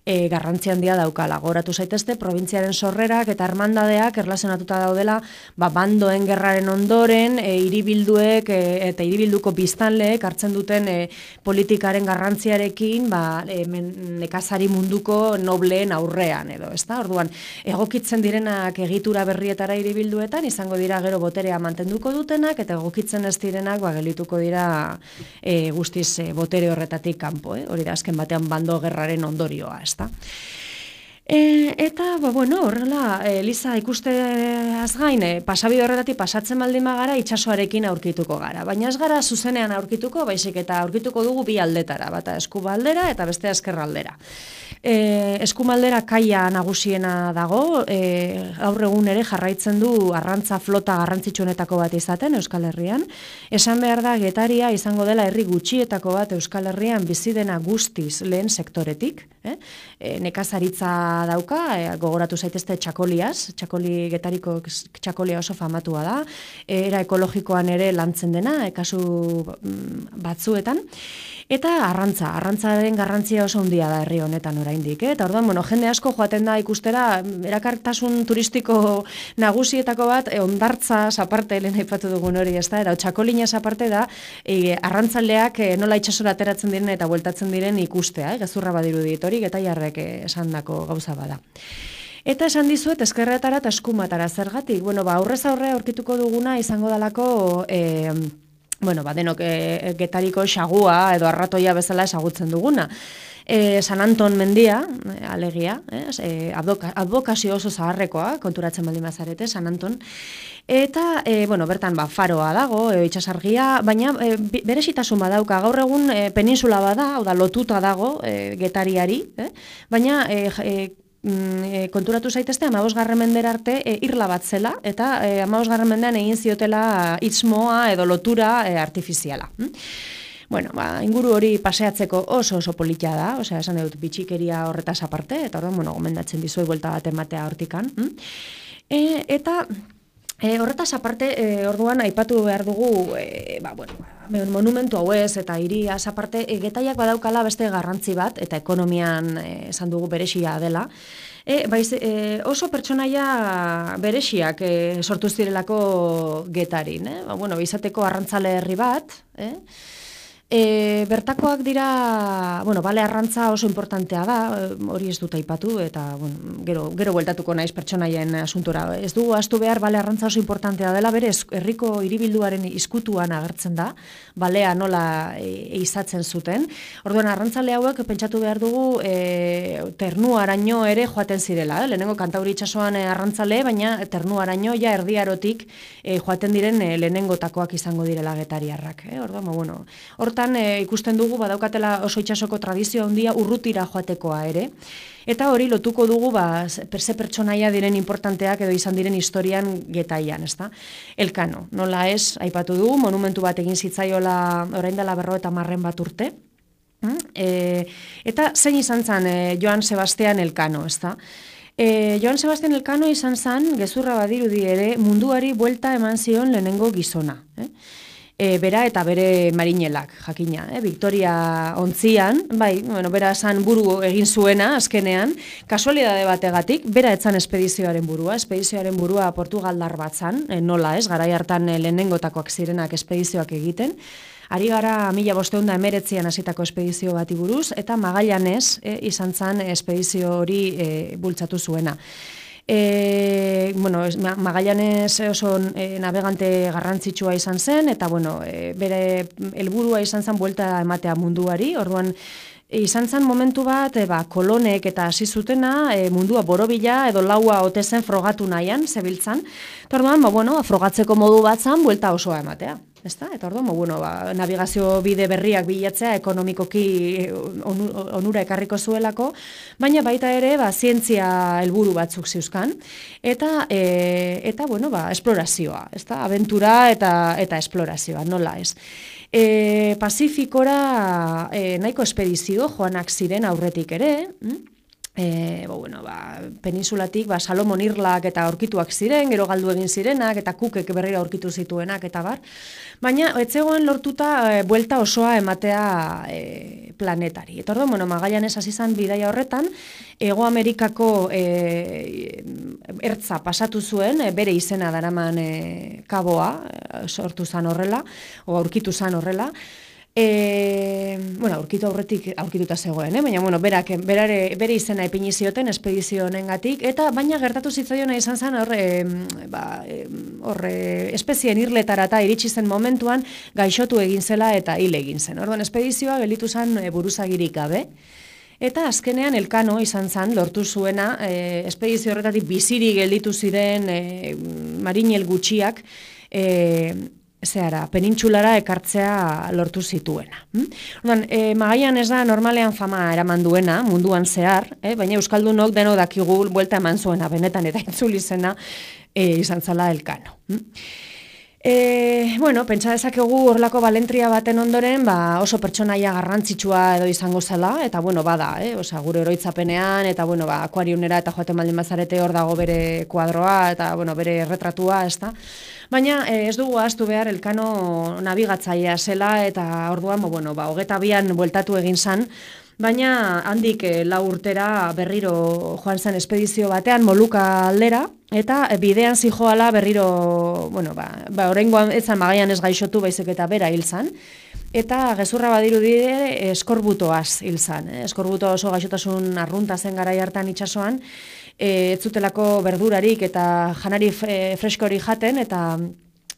E, garrantzi handia daukala. Gogoratu zaitezte, probintziaren sorrerak eta hermandadeak erlazionatuta daudela, ba, bandoen gerraren ondoren, e, hiribilduek e, eta hiribilduko biztanleek hartzen duten e, politikaren garrantziarekin, ba, e, men, nekazari munduko nobleen aurrean, edo, ezta? Orduan, egokitzen direnak egitura berrietara hiribilduetan, izango dira gero boterea mantenduko dutenak, eta egokitzen ez direnak, ba, gelituko dira e, guztiz e, botere horretatik kanpo, eh? Hori da, azken batean bando gerraren ondorioa, ez? E, eta, ba, bueno, horrela, Eliza ikusteaz gain, e, pasabide horretatik pasatzen baldin bagara itsasoarekin aurkituko gara. Baina ez gara zuzenean aurkituko, baizik eta aurkituko dugu bi aldetara, bata eskubaldera eta bestea eskerraldera. E, eskumaldera kaia nagusiena dago, e, gaur egun ere jarraitzen du arrantza flota garrantzitsuenetako bat izaten Euskal Herrian. Esan behar da Getaria izango dela herri gutxietako bat Euskal Herrian bizi dena guztiz lehen sektoretik. Eh? E, nekazaritza dauka, e, gogoratu zaitezte txakoliaz, txakoli Getariko txakolia oso famatua da, e, era ekologikoan ere lantzen dena, e, kasu batzuetan. Eta arrantza, arrantzaren garrantzia oso handia da herri honetan oraindik, eh? Eta orduan, bueno, jende asko joaten da ikustera erakartasun turistiko nagusietako bat, e, hondartza aparte lehen aipatu dugun hori, ezta? Eta txakolinaz aparte da, e, arrantzaleak e, nola itsasora ateratzen diren eta bueltatzen diren ikustea, eh? Gezurra badirudit hori, Getaiarrek esandako gauza bada. Eta esan dizuet ezkerretara eta eskumatara zergatik. Bueno, ba, aurrez aurre aurkituko duguna izango dalako e, bueno, ba, denok e, Getariko xagua edo arratoia bezala ezagutzen duguna. E, San Anton mendia, alegia, eh? e, advokazio oso zaharrekoa, konturatzen baldin bazarete, San Anton. Eta, e, bueno, bertan, ba, faroa dago, e, itxasargia, baina e, berezitasun badauka, gaur egun e, peninsula bada, hau da, lotuta dago e, Getariari, eh? Baina, e, e, E, konturatu zaitezte, hamabosgarren mendera arte e, irla bat zela, eta e, hamabosgarren mendean egin ziotela itzmoa edo lotura e, artifiziala. Hm? Bueno, ba, inguru hori paseatzeko oso oso politia da, osea, esan dut bitxikeria horretaz aparte, eta orduan, bueno, gomendatzen dizuet buelta bat ematea hortikan. Hm? E, eta... E, horretaz aparte, e, orduan aipatu behar dugu, e, ba, bueno, monumentu hauez eta hiriaz aparte, e, Getaiak badaukala beste garrantzi bat, eta ekonomian e, esan dugu beresia dela. E, baiz, e, oso pertsonaia berexiak e, sortu zirelako Getarin. Eh? Ba, bueno, izateko arrantzale herri bat, eh? E, bertakoak dira, bueno, bale arrantza oso importantea da, hori ez dut aipatu, eta bueno, gero, gero bueltatuko naiz pertsonaien asuntora. Ez dugu ahaztu behar bale arrantza oso importantea dela, bere herriko hiribilduaren izkutuan agertzen da, balea nola e, izatzen zuten. Orduan, arrantzale hauek pentsatu behar dugu e, ternuaraino ere joaten zirela. Eh? Lehenengo Kantauri itsasoan e, arrantzale, baina ternuaraino ja erdiarotik e, joaten diren e, lehenengotakoak izango direla getariarrak. Eh? Orduan, bueno, hortan E, ikusten dugu badaukatela oso itsasoko tradizio handia urrutira joatekoa ere. Eta hori lotuko dugu ba, ze pertsonaia diren importanteak edo izan diren historian Getaian, ezta? Elkano, nola ez, aipatu dugu, monumentu bat egin zitzaiola orain dela berrogeita hamar bat urte. E, eta zein izan zen e, Joan Sebastian Elkano, ezta? E, Joan Sebastian Elkano izan zen, gezurra badirudi ere, munduari buelta eman zion lehenengo gizona. Eh? E, bera eta bere marinelak, jakina, eh? Victoria ontzian, bai, bueno, bera esan buru egin zuena, azkenean, kasualidade bategatik, bera etzan espedizioaren burua, espedizioaren burua Portugaldar bat zan, e, nola ez, garai hartan e, lehenengotakoak zirenak espedizioak egiten, ari gara mila bosteun da emeretzian hasitako espedizio bati buruz, eta Magallanez e, izan zan espedizio hori e, bultzatu zuena. E, bueno, Magallanez oso e, navegante garrantzitsua izan zen, eta bueno, e, bere helburua izan zen buelta ematea munduari, orduan izan zen momentu bat, e, ba, kolonek eta hasi zutena e, mundua borobila edo laua ote zen frogatu nahian, zebiltzan, eta orduan, ba, bueno, frogatzeko modu bat zen buelta osoa ematea. Ezta? Eta orduan, bueno, ba, navigazio bide berriak bilatzea ekonomikoki onura ekarriko zuelako, baina baita ere, ba, zientzia helburu batzuk ziuzkan, eta, e, eta bueno, ba, esplorazioa, ezta? Abentura eta, eta esplorazioa, nola ez. E, Pazifikora e, nahiko espedizio joanak ziren aurretik ere, hm? E, bo, bueno, ba, peninsulatik ba, Salomon Irlak eta aurkituak ziren, gero galdu egin zirenak, eta Cookek berriro aurkitu zituenak, eta bar. Baina, etzegoen lortuta e, buelta osoa ematea e, planetari. Eta orduan, bueno, Magallanez hasi zan bidaia horretan, Hego Amerikako e, ertza pasatu zuen, e, bere izena daraman e, kaboa, e, sortu zan horrela, o aurkitu zan horrela, E, bueno, aurkitu aurretik aurkituta zegoen, eh? Baina bueno, berak berare, bere izena ipini zioten espedizio honengatik, eta baina gertatu zitzaiona izan zen hor e, ba, e, hor espezien irletarata iritsi zen momentuan gaixotu egin zela eta hil egin zen. Orduan espedizioa gelditu zen e, buruzagirik gabe. Eta azkenean Elkano izan zen lortu zuena e, espedizio horretatik biziri gelditu ziren e, marinel gutxiak e, zehara, penintsulara ekartzea lortu zituena. Hm? Orduan, e, Magallanez da normalean fama eraman duena, munduan zehar, eh? Baina Euskaldunok deno dakigu buelta eman zuena, benetan eta itzuli zena e, izan zala Elkano. Hm? E, bueno, pentsa dezakegu horlako balentria baten ondoren, ba, oso pertsonaia garrantzitsua edo izango zela, eta bueno, bada, eh? Osea, gure oroitzapenean, eta bueno, ba, akuariunera eta joaten baldin bazarete hor dago bere kuadroa, eta bueno, bere retratua, ez da? Baina eh, ez dugu ahaztu behar Elkano nabigatzailea zela, eta orduan, bo, bueno, ba, hogeta bian bueltatu egin zan, baina handik eh, lau urtera berriro joan zen espedizio batean Moluka aldera, eta bidean zijoala berriro, bueno, ba, ba oraingoan ez zan Magallanez gaixotu baizik eta bera hil zan, eta gezurra badirudi eskorbutoaz hil zan. Eh? Eskorbuto oso gaixotasun arrunta zen garai hartan itsasoan, ez zutelako berdurarik eta janari freskori jaten, eta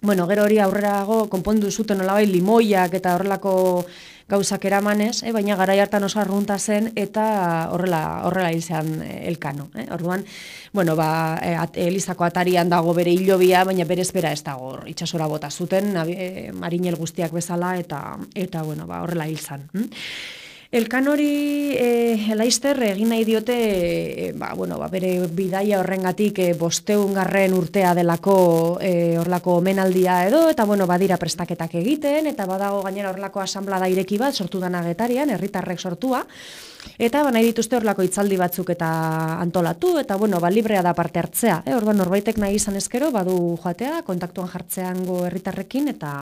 bueno, gero hori aurrerago konpondu zuten nolabait limoiak eta horrelako gauzak eramanez, eh? Baina garai hartan oso arrunta zen eta horrela horrela izan Elkano. Eh? Orduan, bueno, ba, Elizako atarian dago bere hilobia, baina berez bera ez dago itsasora bota zuten, e, marinel guztiak bezala, eta eta bueno, ba, horrela hil zan. Hm? Elkan hori e, Laister egin nahi diote e, ba, bueno, ba, bere bidaia horrengatik e, bosteungarren urtea delako e, horlako omenaldia edo, eta bueno, badira prestaketak egiten, eta badago gainera horlako asanblada ireki bat sortu dana Getarian, herritarrek sortua, eta ba, nahi dituzte horlako hitzaldi batzuk eta antolatu, eta bueno, ba, librea da parte hartzea. E, orduan norbaitek nahi izan ezkero, badu joatea, kontaktuan jartzeango herritarrekin, eta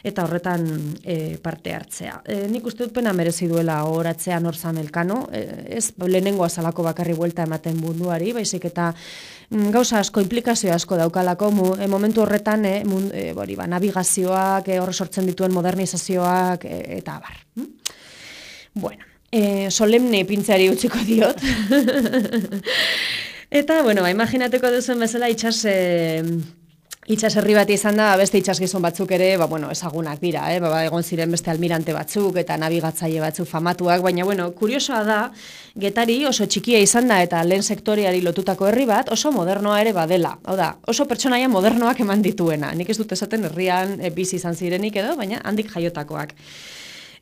eta horretan e, parte hartzea. E, nik uste dut pena merezi duela horatzea norzan Elkano, e, ez lehenengo azalako bakarri buelta ematen munduari, baizik eta mm, gauza asko, implikazio asko daukalako, mu, e, momentu horretan, e, mun, e, bori, ba, navigazioak, e, horre sortzen dituen modernizazioak, e, eta abar. Hm? Bueno, e, solemne pintzeari utziko diot. Eta, bueno, ba, imaginateko duzen bezala itxas... E, Itxas herri bat izan da, beste itxasgizon batzuk ere, ba, bueno, ezagunak dira, eh? ba, egon ziren beste almirante batzuk eta nabigatzaile batzuk famatuak, baina, bueno, kuriosoa da, Getari oso txikia izan da eta lehen sektoriari lotutako herri bat oso modernoa ere badela. Hau da, oso pertsonaia modernoak eman dituena. Nik ez dut esaten herrian e, bizi izan zirenik edo, baina handik jaiotakoak.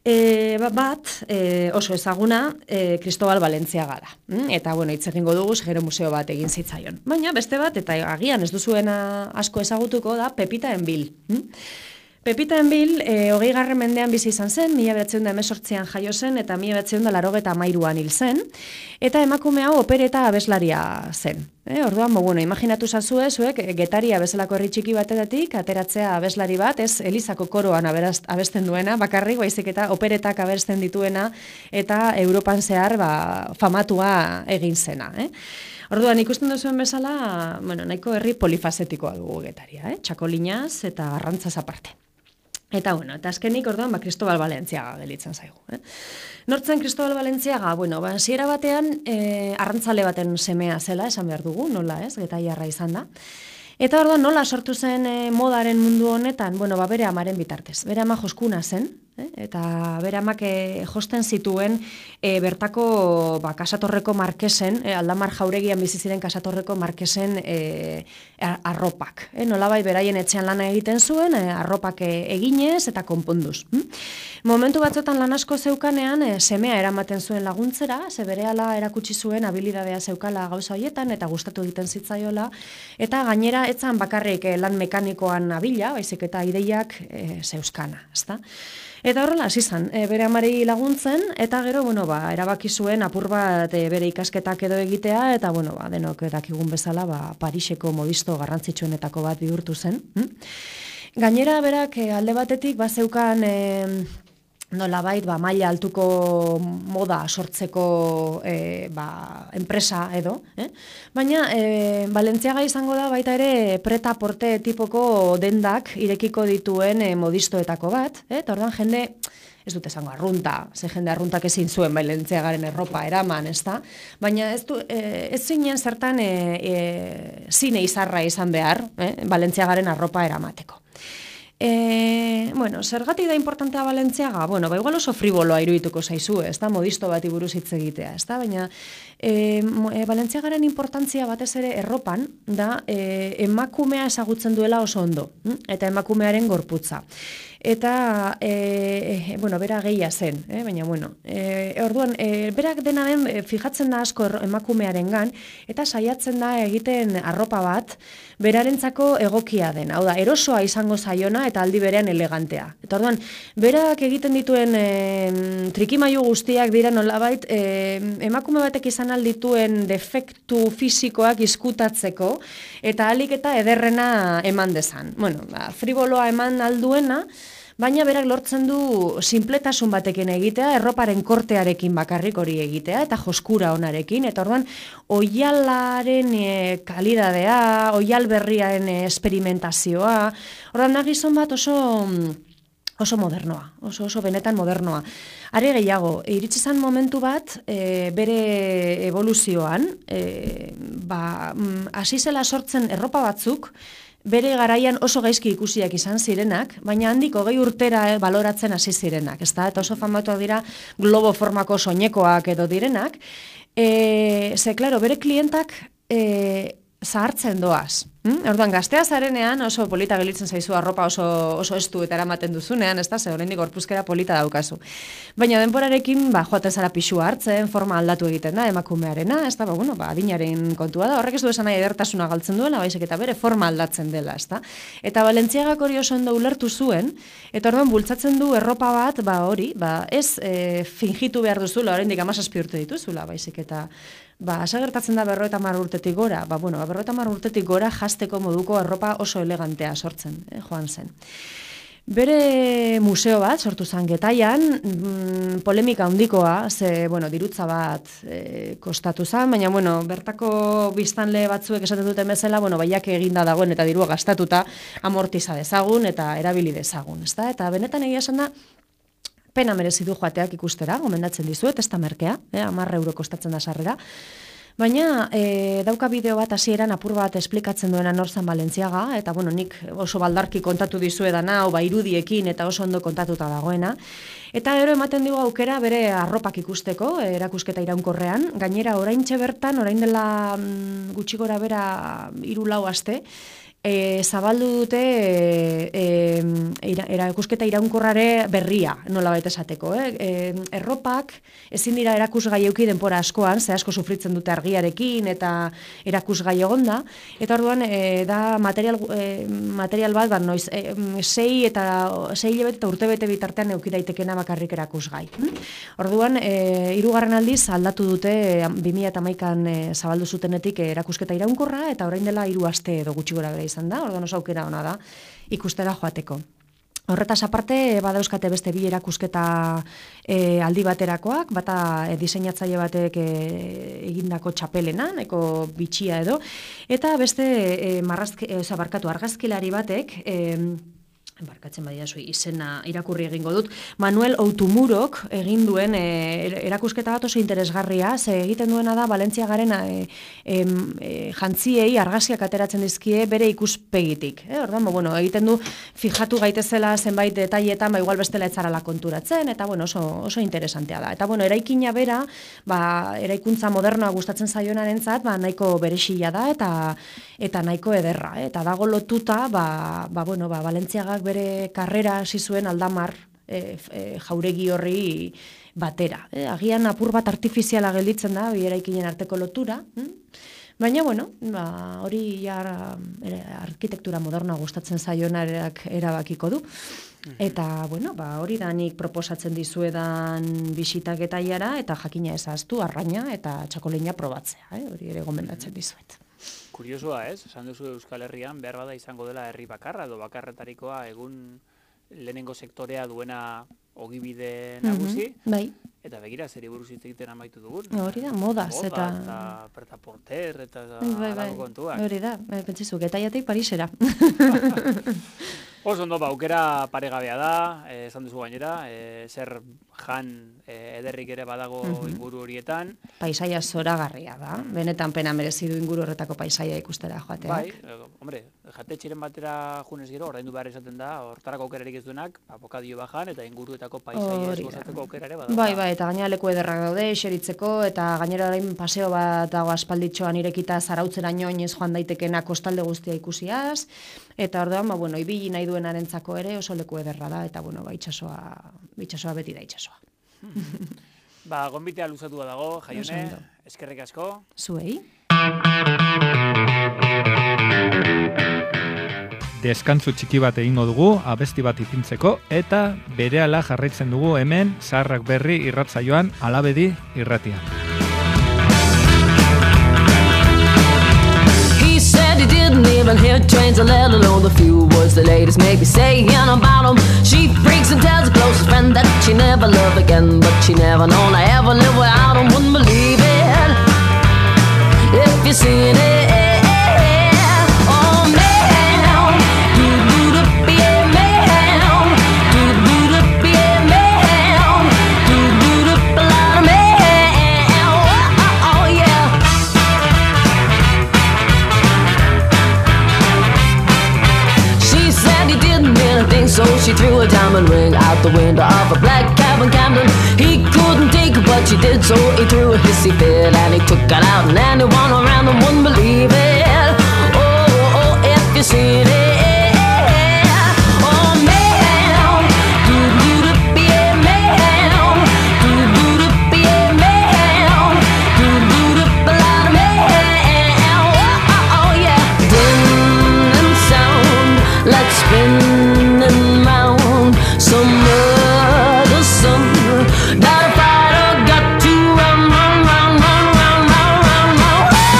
E, bat, e, oso ezaguna, e, Cristobal Valentziaga da. Mm? Eta, bueno, hitz egingo dugu, gero museo bat egin zitzaion. Baina, beste bat, eta agian ez duzuena asko ezagutuko da, Pepita Enbil. Mm? Pepita Enbil, e, hogei garren mendean bizi izan zen, mila behatziehun eta hemezortzian jaio zen, eta mila behatziehun eta laurogeita hamairuan hil zen, eta emakume hau opereta abeslaria zen. E, orduan, bueno, imaginatu zazue, zuek, Getaria bezalako herri txiki batetik, ateratzea abeslari bat, ez Elizako koroan aberaz, abesten duena, bakarrik, baizik eta operetak abesten dituena, eta Europan zehar ba, famatua egin zena. Eh? Orduan, ikusten duzuen bezala, bueno, nahiko herri polifazetikoa dugu Getaria, eh? Txakolinaz eta arrantzaz aparte. Eta, bueno, eta azkenik, orduan, ba, Cristobal Valentziaga gelitzen zaigu. Eh? Nortzen Cristobal Valentziaga, bueno, ba, hasiera batean, eh, arrantzale baten semea zela, esan behar dugu, nola ez, getaiarra izan da. Eta orduan, nola sortu zen eh, modaren mundu honetan, bueno, ba, bere amaren bitartez. Bere ama joskuna zen, eh? Eta bere amak eh, josten zituen eh, bertako ba, Kasatorreko markesen, eh, Aldamar Jauregian bizi ziren Kasatorreko markesen eh, arropak. Eh? Nolabai beraien etxean lana egiten zuen, eh, arropak eh, eginez eta konponduz. Hm? Momentu batzuetan lan asko zeukanean, eh, semea eramaten zuen laguntzera, ze berehala erakutsi zuen habilidadea zeukala gauza hoietan eta gustatu egiten zitzaiola, eta gainera etzan bakarrik eh, lan mekanikoan abila, baizik eta ideiak eh, zeuzkana, ezta? Eta horrela hasi zen, e, bere amari laguntzen, eta gero, bueno, ba, erabaki zuen apur bat e, bere ikasketak edo egitea, eta, bueno, ba, denok dakigun bezala, ba, Pariseko modisto garrantzitsuenetako bat bihurtu zen. Hm? Gainera, berak, e, alde batetik, ba, zeukan, e, nolabait, ba, maila altuko moda sortzeko e, ba, enpresa edo, eh? Baina e, Valentziaga izango da baita ere preta porte tipoko dendak irekiko dituen e, modistoetako bat, eh? Eta orduan jende, ez dut esango arrunta, ze jende arruntak ezin zuen Valentziagaren erropa eraman, ezta? Baina ez, du, e, ez zinen zertan e, e, zine izarra izan behar, eh? Valentziagaren arropa eramateko. E, bueno, zergatik da importantea Valentziaga? Bueno, ba, igual oso friboloa irudituko zaizu, ez da, modisto bat buruz hitz egitea, ez da, baina e, e, Valentziagaren importantzia batez ere erropan da e, emakumea ezagutzen duela oso ondo, eta emakumearen gorputza. Eta, e, bueno, bera gehia zen, eh? Baina, bueno, e, orduan, e, berak dena den e, fijatzen da asko emakumearen gan, eta saiatzen da egiten arropa bat, berarentzako egokia den, hau da, erosoa izango zaiona eta aldi berean elegantea. Eta orduan, berak egiten dituen e, trikimailu guztiak dira nolabait, e, emakume batek izan aldituen defektu fisikoak izkutatzeko, eta alik eta ederrena eman dezan. Bueno, ba, friboloa eman alduena, baina berak lortzen du sinpletasun batekin egitea, erroparen kortearekin bakarrik hori egitea, eta joskura onarekin, eta orduan, oialaren e, kalidadea, oial berriaren e, esperimentazioa, orduan da gizon bat oso oso modernoa, oso oso benetan modernoa. Are gehiago, iritsi zen momentu bat, e, bere evoluzioan, e, ba, hasi zela sortzen erropa batzuk, bere garaian oso gaizki ikusiak izan zirenak, baina handik hogei urtera eh, baloratzen hasi zirenak, ezta? Eta oso famatuak dira globo formako soinekoak edo direnak. E, ze, klaro, bere klientak e, zahartzen doaz. Hmm? Orduan, gaztea zarenean oso polita gelitzen zaizu arropa oso, oso estu eta eramaten duzunean, ez da, ze oraindik gorpuzkera polita daukazu. Baina denborarekin, ba, joaten zara pixua hartzen, forma aldatu egiten da, emakumearena, ez da, ba, bueno, ba, adinaren kontua da, horrek ez du esan nahi edertasuna galtzen duela, baizik eta bere forma aldatzen dela, ez da. Eta Balentziagak hori oso ondo ulertu zuen, eta orduan bultzatzen du erropa bat, ba, hori, ba, ez e, fingitu behar duzula, oraindik hamazazpi urte dituzula, baizik eta ba, asagertatzen da berrogeita hamar urtetik gora, ba, bueno, ba, berrogeita hamar urtetik gora jasteko moduko arropa oso elegantea sortzen, eh, joan zen. Bere museo bat sortu zen Getaian, mm, polemika handikoa, ze, bueno, dirutza bat e, kostatu zen, baina, bueno, bertako biztanle batzuek esaten duten bezala, bueno, baiak eginda dagoen eta dirua gastatuta amortiza dezagun eta erabili dezagun, ezta? Eta benetan egia esan da, pena merezi du joateak ikustera, gomendatzen dizuet, ez da merkea, eh, hamar euro kostatzen da sarrera. Baina e, dauka bideo bat hasieran apur bat esplikatzen duena Norzan Balentziaga, eta bueno, nik oso baldarki kontatu dizuedana, hau ba irudiekin eta oso ondo kontatuta dagoena. Eta gero ematen digu aukera bere arropak ikusteko, erakusketa iraunkorrean, gainera oraintxe bertan, orain dela mm, gutxi gora bera hiru lau aste, E, zabaldu dute e, e, erakusketa iraunkorrare berria, nola baita esateko. Eh? E, erropak ezin dira erakusgai euki denpora askoan, ze asko sufritzen dute argiarekin eta erakusgai egonda, eta orduan e, da material, e, material bat, bat noiz, e, sei eta sei hilabete eta urtebete bitartean euki daitekena bakarrik erakusgai. Hm? Orduan, e, hirugarren aldiz aldatu dute bi mila hamaikan e, zabaldu zutenetik erakusketa iraunkorra, eta orain dela hiru aste edo gutxi gora bera izan da, orduan oso aukera ona da ikustera joateko. Horretaz aparte, badauzkate beste bi erakusketa e, aldi baterakoak, bata e, diseinatzaile batek e, egindako txapelena, nahiko bitxia edo, eta beste e, marrazki, e, oza, barkatu, argazkilari batek, e, barkatzen badia zui, izena irakurri egingo dut, Manuel Outumurok egin duen e, erakusketa bat oso interesgarria, ze egiten duena da Balentziagaren e, e, e, jantziei argazkiak ateratzen dizkie bere ikuspegitik. Eh? Orduan, bueno, egiten du fijatu gaitezela zenbait detailetan, ba igual bestela etzarala konturatzen, eta bueno, oso, oso interesantea da. Eta bueno, eraikina bera, ba, eraikuntza modernoa gustatzen zaionarentzat, ba, nahiko berexila da, eta eta nahiko ederra. Eh? Eta dago lotuta, ba, ba, bueno, ba, Balentziagak bere karrera hasi zuen Aldamar e, e, jauregi horri batera. E, agian apur bat artifiziala gelditzen da, bi eraikinen arteko lotura. Hm? Baina, bueno, ba, hori ja e, arkitektura modernoa gustatzen zaionarak erabakiko du. Eta, bueno, ba, hori da nik proposatzen dizuedan bisitak etaiara, eta jakina ezaztu, arraina eta txakolina probatzea. Eh? Hori ere gomendatzen dizuet. Kuriosoa, ez? Esan duzu Euskal Herrian behar bada izango dela herri bakarra edo bakarretarikoa egun lehenengo sektorea duena ogibide nagusi. Mm-hmm, bai. Eta begira, zeri buruz hitz egiten amaitu dugun. Hori da, modaz. Moda, eta... eta pretaporter, eta bai, bai, kontuak. Hori da, pentsizu, Getaiatik Parisera. Oso ondo, ba, aukera paregabea da, eh, esan duzu gainera, eh, zer jan eh, ederrik ere badago mm-hmm. inguru horietan. Paisaia zoragarria da, benetan pena merezi du inguru horretako paisaia ikustera joateak. Bai, eh, hombre, jatetxiren batera junez gero, ordaindu behar izaten da, hortarako aukerarik ez duenak, abokadio bajan eta inguruetako paisaia esgozatzeko aukera ere badago. Bai, bai, eta gainera leku ederrak daude, xeritzeko, eta gainera orain paseo bat dago aspalditxoan irekita zarautzeraino oinez joan daitekena kostalde guztia ikusiaz, eta orduan, ba, bueno, ibili nahi duenarentzako ere oso leku ederra da, eta bueno, ba, itxasoa, itxasoa beti da itxasoa. Ba, gonbitea luzatua dago, Jaione, eskerrik asko. Zuei. Deskantzu txiki bat egingo dugu, abesti bat ipintzeko, eta berehala jarraitzen dugu hemen Zaharrak Berri irratsaioan Alabedi irratian. He said he didn't even hear trains, let alone the few words the ladies make me saying about him. She freaks and tells her closest friend that she never loved again, but she never known I ever live without him. Wouldn't believe it if you seen it. So she threw a diamond ring out the window of a black cab in Camden. He couldn't take her, but she did, so he threw a hissy fit and he took it out, and anyone around them wouldn't believe it. Oh, oh, seen it? Oh, man, do-do-do, yeah, man, do-do-do, yeah, man, do-do-do, a lot of man. Oh, oh, yeah. Dim and sound like spinning round some other summer. Got a fight or got to run, run, run, run, run, run, run, run.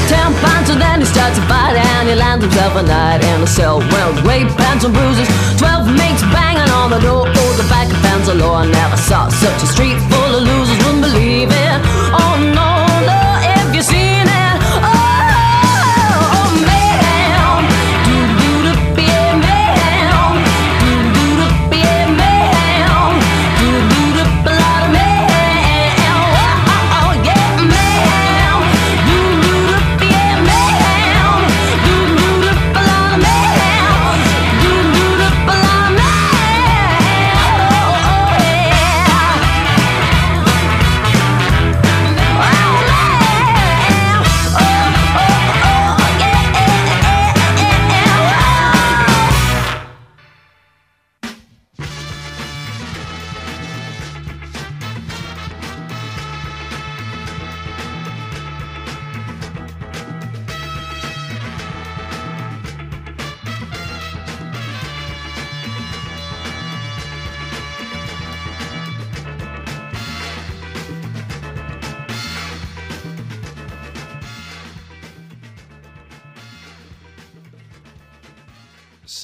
Ten pints and then he starts to fight and he lands himself a night in a cell. Well, rape, pants and bruises, twelve mates banging on the door. Oh, the back of fence law, I never saw such a street full of losers, wouldn't believe it. Oh no, no, if you seen it. Oh, oh man, do-do-do, yeah, man, do-do-do, yeah, man, do-do-do, a lot of man. Oh, oh, oh, yeah, man, do-do-do, yeah, man, do-do-do, a lot of man, do-do-do, a lot of man. Oh, oh, yeah.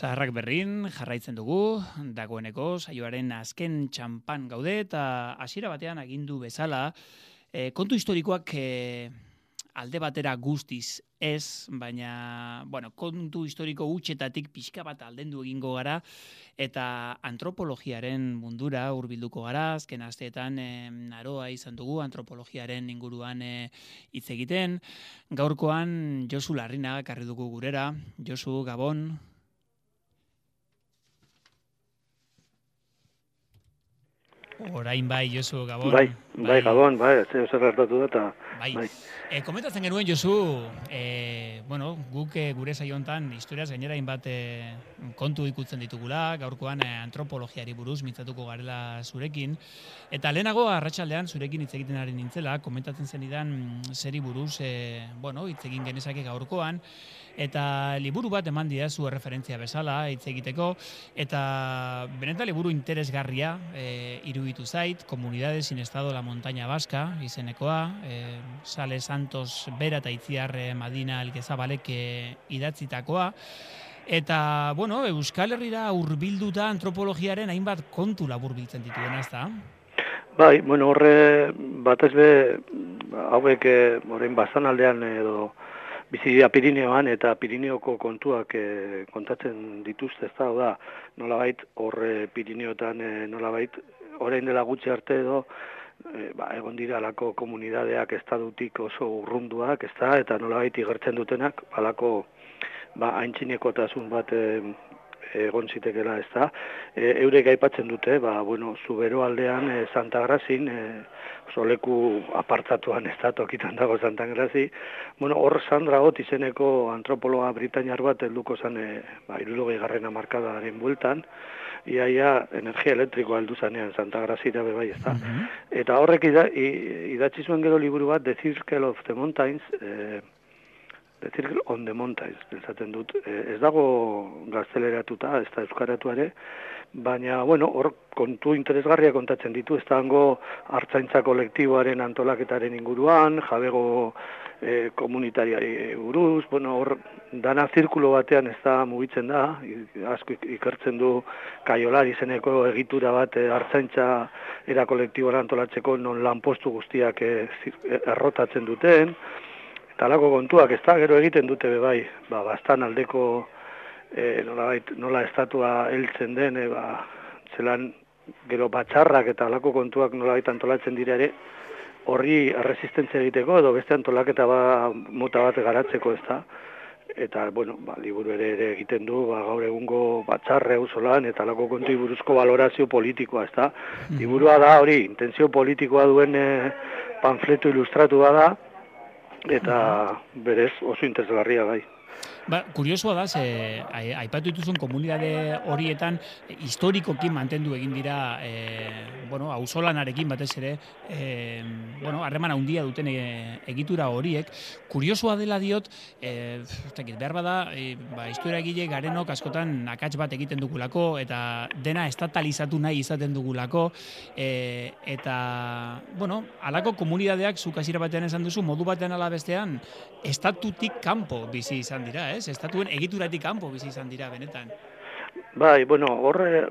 Zaharrak berrin jarraitzen dugu, dagoeneko saioaren azken txampan gaude eta hasiera batean agindu bezala, e, kontu historikoak e, alde batera guztiz ez, baina bueno, kontu historiko hutsetatik pixka bat aldendu egingo gara eta antropologiaren mundura hurbilduko gara. Azken asteetan e, naroa izan dugu antropologiaren inguruan e, hitz egiten. Gaurkoan Josu Larrinaga ekarri dugu gurera. Josu, Gabon. Orain bai, Josu, Gabon. Bai, bai, Gabon, bai, zer gertatu da eta... Bai. bai. E, komentatzen genuen, Josu, e, bueno, guk e, gure saiontan historiaz gainera hainbat e, kontu ikutzen ditugula, gaurkoan e, antropologiari buruz mintzatuko garela zurekin, eta lehenago arratsaldean zurekin hitz egiten ari nintzela, komentatzen zenidan zeri buruz, e, bueno, hitz egin genezake gaurkoan, eta liburu bat eman didazu referentzia bezala hitz egiteko, eta benetan liburu interesgarria e, iruditu zait, Comunidades sin Estado la Montaña Vasca izenekoa, e, Sale Santos Bera eta Itziar Madina Elgezabalek idatzitakoa, eta, bueno, Euskal Herrira hurbilduta antropologiaren hainbat kontu laburbiltzen dituena, ezta? Bai, bueno, horre batez be hauek orain Baztanaldean edo bizi dira Pirineoan eta Pirineoko kontuak e, kontatzen dituzte, ezta, da, nolabait horre Pirineotan e, nolabait orain dela gutxi arte edo e, ba, egon dira alako komunidadeak estadutik oso urrunduak, ezta, eta nolabait igertzen dutenak alako ba aintzinekotasun bat e, egon zitekela, ezta. E, eurek aipatzen dute, ba bueno, Zubero aldean e, Santa Grazin e, oso leku apartatuan, ez da, tokitan dago Santa Grazi. Bueno, hor Sandra Ott izeneko antropologa britainiar bat helduko zen e, ba hirurogeigarren hamarkadaren bueltan. Iaia energia elektrikoa heldu zanean Santa Grazira be bai, ezta. Mm-hmm. Eta horrek ida, idatzi zuen gero liburu bat The Circle of the Mountains, eh, The Circle on the Mountains, pentsatzen dut. Eh, ez dago gazteleratuta, ez da euskaratu ere, baina, bueno, hor kontu interesgarria kontatzen ditu, ez dago hartzaintza kolektiboaren antolaketaren inguruan, jabego e, komunitariari buruz, bueno, hor dana zirkulo batean ez da mugitzen da, asko ikertzen du Kaiolar izeneko egitura bat e, hartzaintza era kolektiboan antolatzeko non lanpostu guztiak e, errotatzen duten, eta alako kontuak ez da, gero egiten dute be bai, ba, bastan aldeko E, nola, nola estatua heltzen den, e, ba, zelan gero batzarrak eta alako kontuak nolabait antolatzen dira ere, horri erresistentzia egiteko edo beste antolaketa ba, mota bat garatzeko ez da. Eta, bueno, ba, liburu ere, ere egiten du, ba, gaur egungo batzarre auzolan eta alako kontu buruzko valorazio politikoa, ez da. Liburua da hori, intentzio politikoa duen e, panfleto ilustratua da, eta berez oso interesgarria bai. Ba, kuriosoa da, ze, aipatu dituzun komunitate horietan historikoki mantendu egin dira, e, bueno, auzolanarekin batez ere, e, bueno, harreman handia duten e, egitura horiek. Kuriosoa dela diot, e, behar bada, e, ba, historiagile garenok askotan akats bat egiten dugulako, eta dena estatalizatu nahi izaten dugulako, e, eta, bueno, alako komunitateak zuk hasiera batean esan duzu, modu batean ala bestean, estatutik kanpo bizi izan dira, ez? Estatuen egituratik kanpo bizi izan dira, benetan. Bai, bueno, horre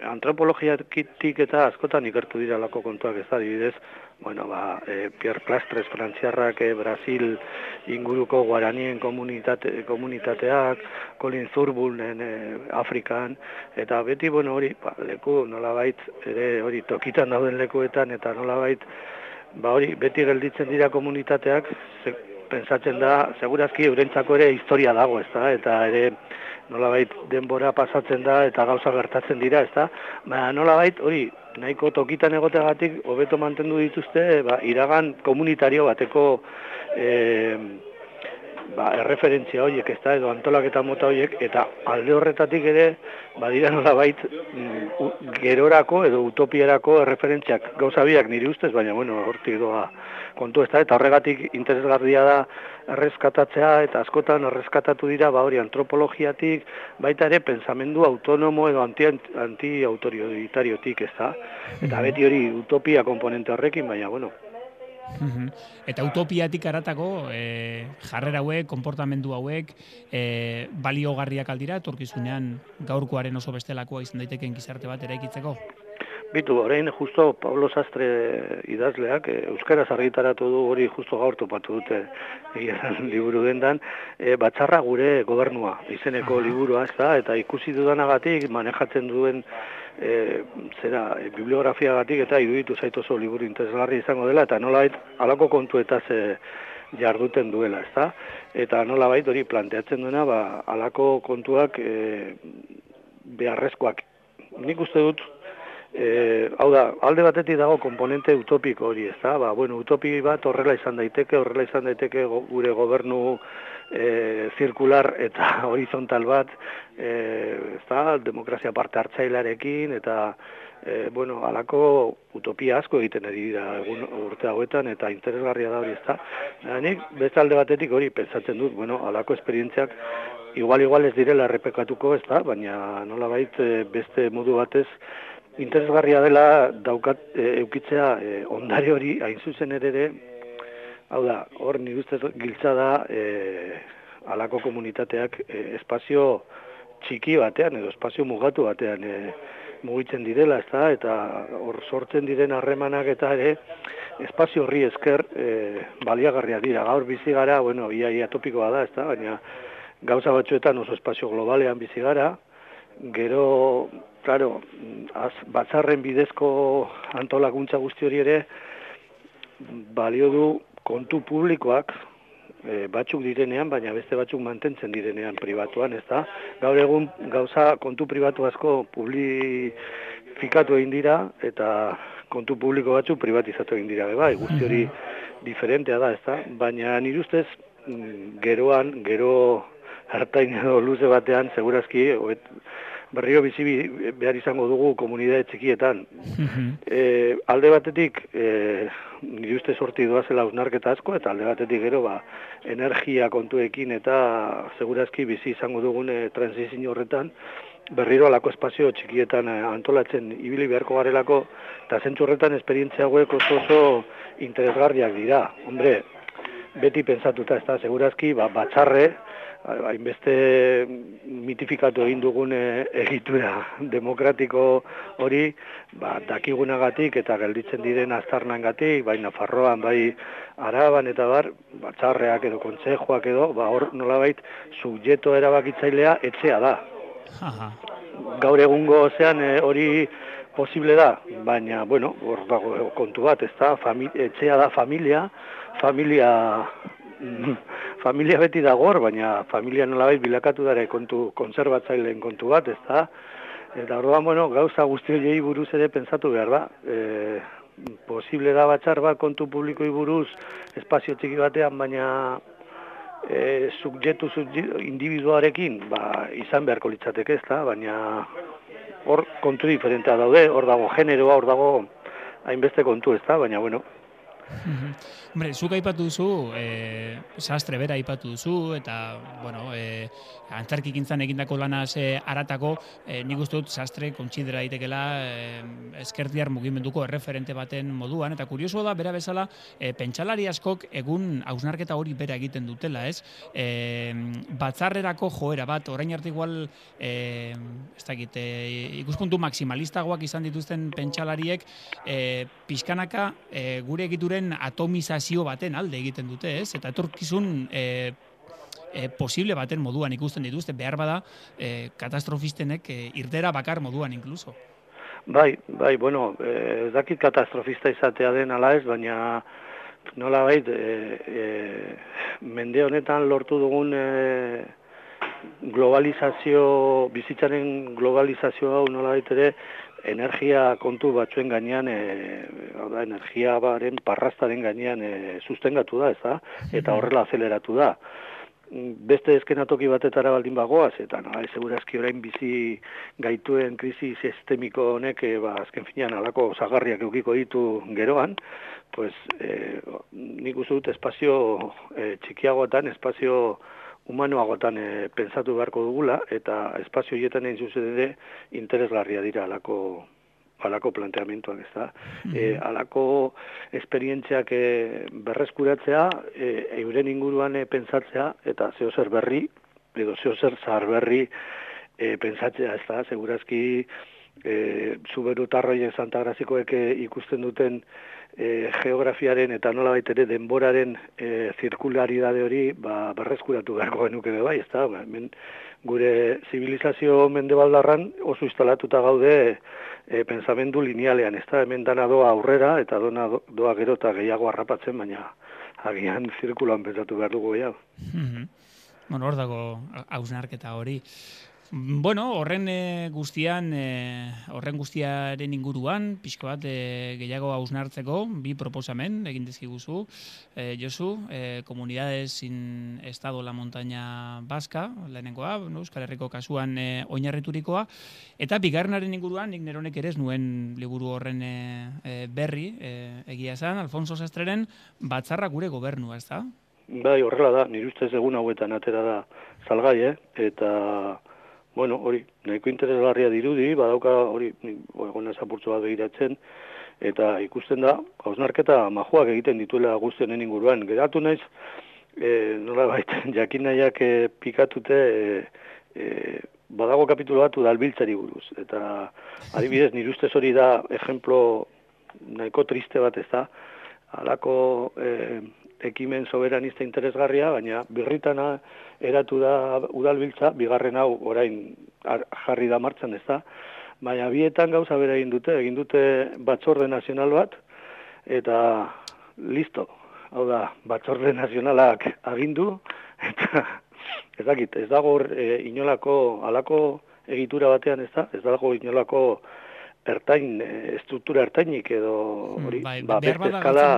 antropologiatik eta askotan ikertu dira lako kontuak ez da, adibidez, bueno, ba, e, Pierre Plastres, frantziarrak, e, Brasil inguruko guaranien komunitate, komunitateak, Colin Zurbunen e, Afrikan, eta beti, bueno, hori, ba, leku nolabait, ere hori tokitan dauden lekuetan, eta nolabait, ba hori, beti gelditzen dira komunitateak, ze, pensatzen da, segurazki eurentzako ere historia dago, ez da, eta ere nolabait denbora pasatzen da eta gauza gertatzen dira, ez da, ba, nolabait hori nahiko tokitan egoteagatik hobeto mantendu dituzte, ba, iragan komunitario bateko e, ba, erreferentzia horiek, ez da, edo antolaketa mota horiek, eta alde horretatik ere, badira nolabait gerorako edo utopierako erreferentziak gauza biak niri ustez, baina, bueno, hortik doa kontu ez da, eta horregatik interesgarria da erreskatatzea, eta askotan erreskatatu dira, ba hori antropologiatik, baita ere pensamendu autonomo edo anti-autoritariotik, ez da, eta beti hori utopia komponente horrekin, baina, bueno. Eta utopiatik aratako e, jarrera hauek, konportamendu hauek, e, baliogarriak aldira, etorkizunean gaurkoaren oso bestelakoa izan daiteken gizarte bat eraikitzeko? Bitu, orain justo Pablo Sastre idazleak, e, euskaraz argitaratu du hori justo gaur topatu dute egin liburu dendan, e, batzarra gure gobernua, izeneko liburua, ez da, eta ikusi dudanagatik manejatzen duen e, zera, e, bibliografiagatik eta iruditu zait oso liburu interesgarri izango dela, eta nolabait alako kontuetaz e, jarduten duela, ez da, eta nolabait hori planteatzen duena, ba, alako kontuak e, beharrezkoak. Nik uste dut, E, hau da, alde batetik dago komponente utopiko hori, ez da, ba, bueno, utopi bat horrela izan daiteke, horrela izan daiteke go, gure gobernu e, zirkular eta horizontal bat, e, ez da, demokrazia parte hartzailarekin, eta, e, bueno, alako utopia asko egiten ari dira egun urte hauetan, eta interesgarria da hori, ez da. Nik, beste alde batetik hori pentsatzen dut, bueno, alako esperientziak, igual-igual ez direla errepekatuko, ez da, baina nolabait beste modu batez, interesgarria dela daukat e, eukitzea e, ondare hori hain zuzen ere, hau da, hor nire ustez giltza da e, alako komunitateak e, espazio txiki batean edo espazio mugatu batean e, mugitzen direla, ez da, eta hor sortzen diren harremanak eta ere espazio horri esker e, baliagarria dira. Gaur bizi gara, bueno, ia, ia topikoa da, ez da, baina gauza batzuetan oso espazio globalean bizi gara, gero, claro, az, batzarren bidezko antolakuntza guzti hori ere balio du kontu publikoak e, batzuk direnean, baina beste batzuk mantentzen direnean pribatuan, ez da? Gaur egun gauza kontu pribatu asko publifikatu egin dira eta kontu publiko batzuk privatizatu egin dira, bai, guzti hori diferentea da, ez da? Baina nire ustez geroan, gero hartain edo luze batean, segurazki, oet, berriro bizi behar izango dugu komunitate txikietan. E, alde batetik, e, nire uste sorti doazela hausnarketa asko, eta alde batetik gero, ba, energia kontuekin eta segurazki bizi izango dugun e, transizio horretan, berriro alako espazio txikietan e, antolatzen ibili beharko garelako, eta zentzu horretan esperientzia hauek oso oso interesgarriak dira. Hombre, beti pentsatuta, ez da, segurazki, ba, batzarre, hainbeste mitifikatu egin dugun egitura demokratiko hori, ba, dakigunagatik eta gelditzen diren aztarnangatik, bai Nafarroan, bai Araban eta bar, batzarreak edo kontzejoak edo, ba, hor nolabait subjektu erabakitzailea etxea da. Gaur egungo ozean hori posible da, baina, bueno, hor dago kontu bat, ez da, etxea da familia, familia, familia beti dago hor, baina familia nolabait bilakatu dara kontu konserbatzaileen kontu bat, ez da, eta orduan, bueno, gauza guzti horiei buruz ere pentsatu behar da, e, posible da batxar bat kontu publikoi buruz, espazio txiki batean, baina e, subjektu individuarekin, ba, izan beharko litzateke, ez da, baina hor kontu diferentea daude, hor dago generoa, hor dago hainbeste kontu, ez da, baina, bueno. Hombre, zuk aipatu duzu, e, sastre bera aipatu duzu, eta, bueno, e, antzarkikintzan egindako lanaz e, aratako, e, nik uste dut sastre kontsidera daitekela e, ezkertiar mugimenduko erreferente baten moduan, eta kurioso da, bera bezala, e, pentsalari askok egun hausnarketa hori bera egiten dutela, ez? E, batzarrerako joera bat, orain arte igual, e, ez dakit, e, ikuspuntu maksimalistagoak izan dituzten pentsalariek, e, pixkanaka e, gure egituren atomizazio baten alde egiten dute, ez? Eta etorkizun e, e, posible baten moduan ikusten dituzte, behar bada e, katastrofistenek e, irtera bakar moduan inkluso. Bai, bai, bueno, ez eh, dakit katastrofista izatea den ala ez, baina nola bait, e, e, mende honetan lortu dugun e, globalizazio, bizitzaren globalizazio hau nola bait ere, energia kontu batzuen gainean, e, da, energia baren parrastaren gainean e, sustengatu da, ez da? Eta horrela azeleratu da. Beste eskenatoki batetara baldin bagoaz, eta no, segurazki orain bizi gaituen krisi sistemiko honek, e, ba, azken finean alako zagarriak eukiko ditu geroan, pues, e, nik uste dut espazio e, txikiagoetan, espazio humanoagotan e, pentsatu beharko dugula, eta espazio horietan egin zuzen ere interesgarria dira alako, alako planteamentuak, ez da. Mm-hmm. E, alako esperientziak e, berreskuratzea, e, euren inguruan e, pentsatzea, eta zeo zer berri, edo zeo zer zahar berri e, pentsatzea, ez da, segurazki e, zuberu tarroien Santagrazikoek e, ikusten duten E, geografiaren eta nola baitere denboraren e, zirkularidade hori ba, berreskuratu beharko genuke bai, ez da, ba, hemen gure zibilizazio mendebaldarran oso instalatuta gaude e, pensamendu linealean, ez da, hemen dana doa aurrera eta dona doa gero eta gehiago harrapatzen, baina agian zirkuloan pentsatu behar dugu gehiago. Mm-hmm. Bueno, hor dago hausnarketa hori. Bueno, horren e, guztian, e, horren guztiaren inguruan, pixko bat e, gehiago hausnartzeko, bi proposamen egin dizkiguzu. E, Josu, e, Comunidades sin Estado la Montaña Vasca, lehenengoa, no, Euskal Herriko kasuan e, oinarriturikoa, eta bigarrenaren inguruan, nik neronek ere ez nuen liburu horren e, e, berri, e, egia esan, Alfonso Sastreren Batzarra gure gobernua, ez da? Bai, horrela da, nire ustez egun hauetan atera da salgai, eh? Eta bueno, hori, nahiko interesgarria dirudi, badauka hori, egon ezapurtzu bat begiratzen, eta ikusten da, hausnarketa majuak egiten dituela guztionen inguruan. Geratu naiz, e, nola baita, jakin nahiak e, pikatute, e, e, badago kapitulo bat udalbiltzari buruz. Eta adibidez, nire ustez hori da, ejemplo nahiko triste bat ez da, halako e, ekimen soberanista interesgarria, baina birritana eratu da udalbiltza, bigarren hau orain jarri da martxan ez da, baina bietan gauza bera egin dute, egin dute batzorde nazional bat, eta listo, hau da, batzorde nazionalak agindu, eta ez dakit, ez dago e, inolako, alako egitura batean ez da, ez dago inolako ertain, estruktura ertainik edo hori, mm, ba, beste eskala.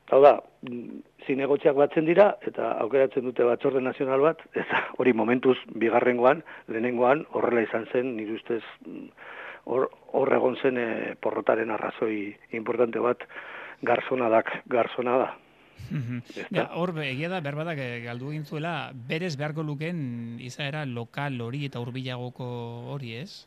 Hau da, zinegotziak batzen dira, eta aukeratzen dute batzorde nazional bat, eta hori momentuz bigarrengoan, lehenengoan, horrela izan zen, nire ustez, hor, hor egon zen e, porrotaren arrazoi importante bat, garzonadak, garzona da. Mm-hmm. Ja, hor, egia da, berbadak galdu egin zuela, berez beharko luken izaera lokal hori eta hurbilagoko hori, ez?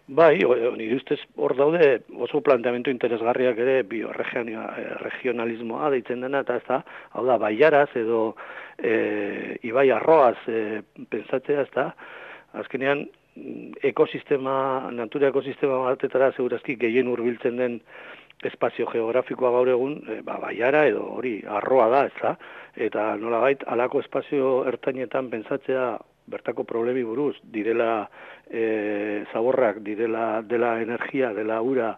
Bai, nire ustez hor daude oso planteamendu interesgarriak ere bioregionalismoa deitzen dena, eta ez da, hau da, baiaraz edo e, ibai arroaz e, pentsatzea, ez da, azkenean ekosistema, natura ekosistema batetara segurazki gehien hurbiltzen den espazio geografikoa gaur egun, e, ba, baiara edo hori arroa da, ez da, eta nolabait, alako espazio ertainetan pentsatzea bertako problemi buruz, direla e, zaborrak, direla dela energia, dela ura,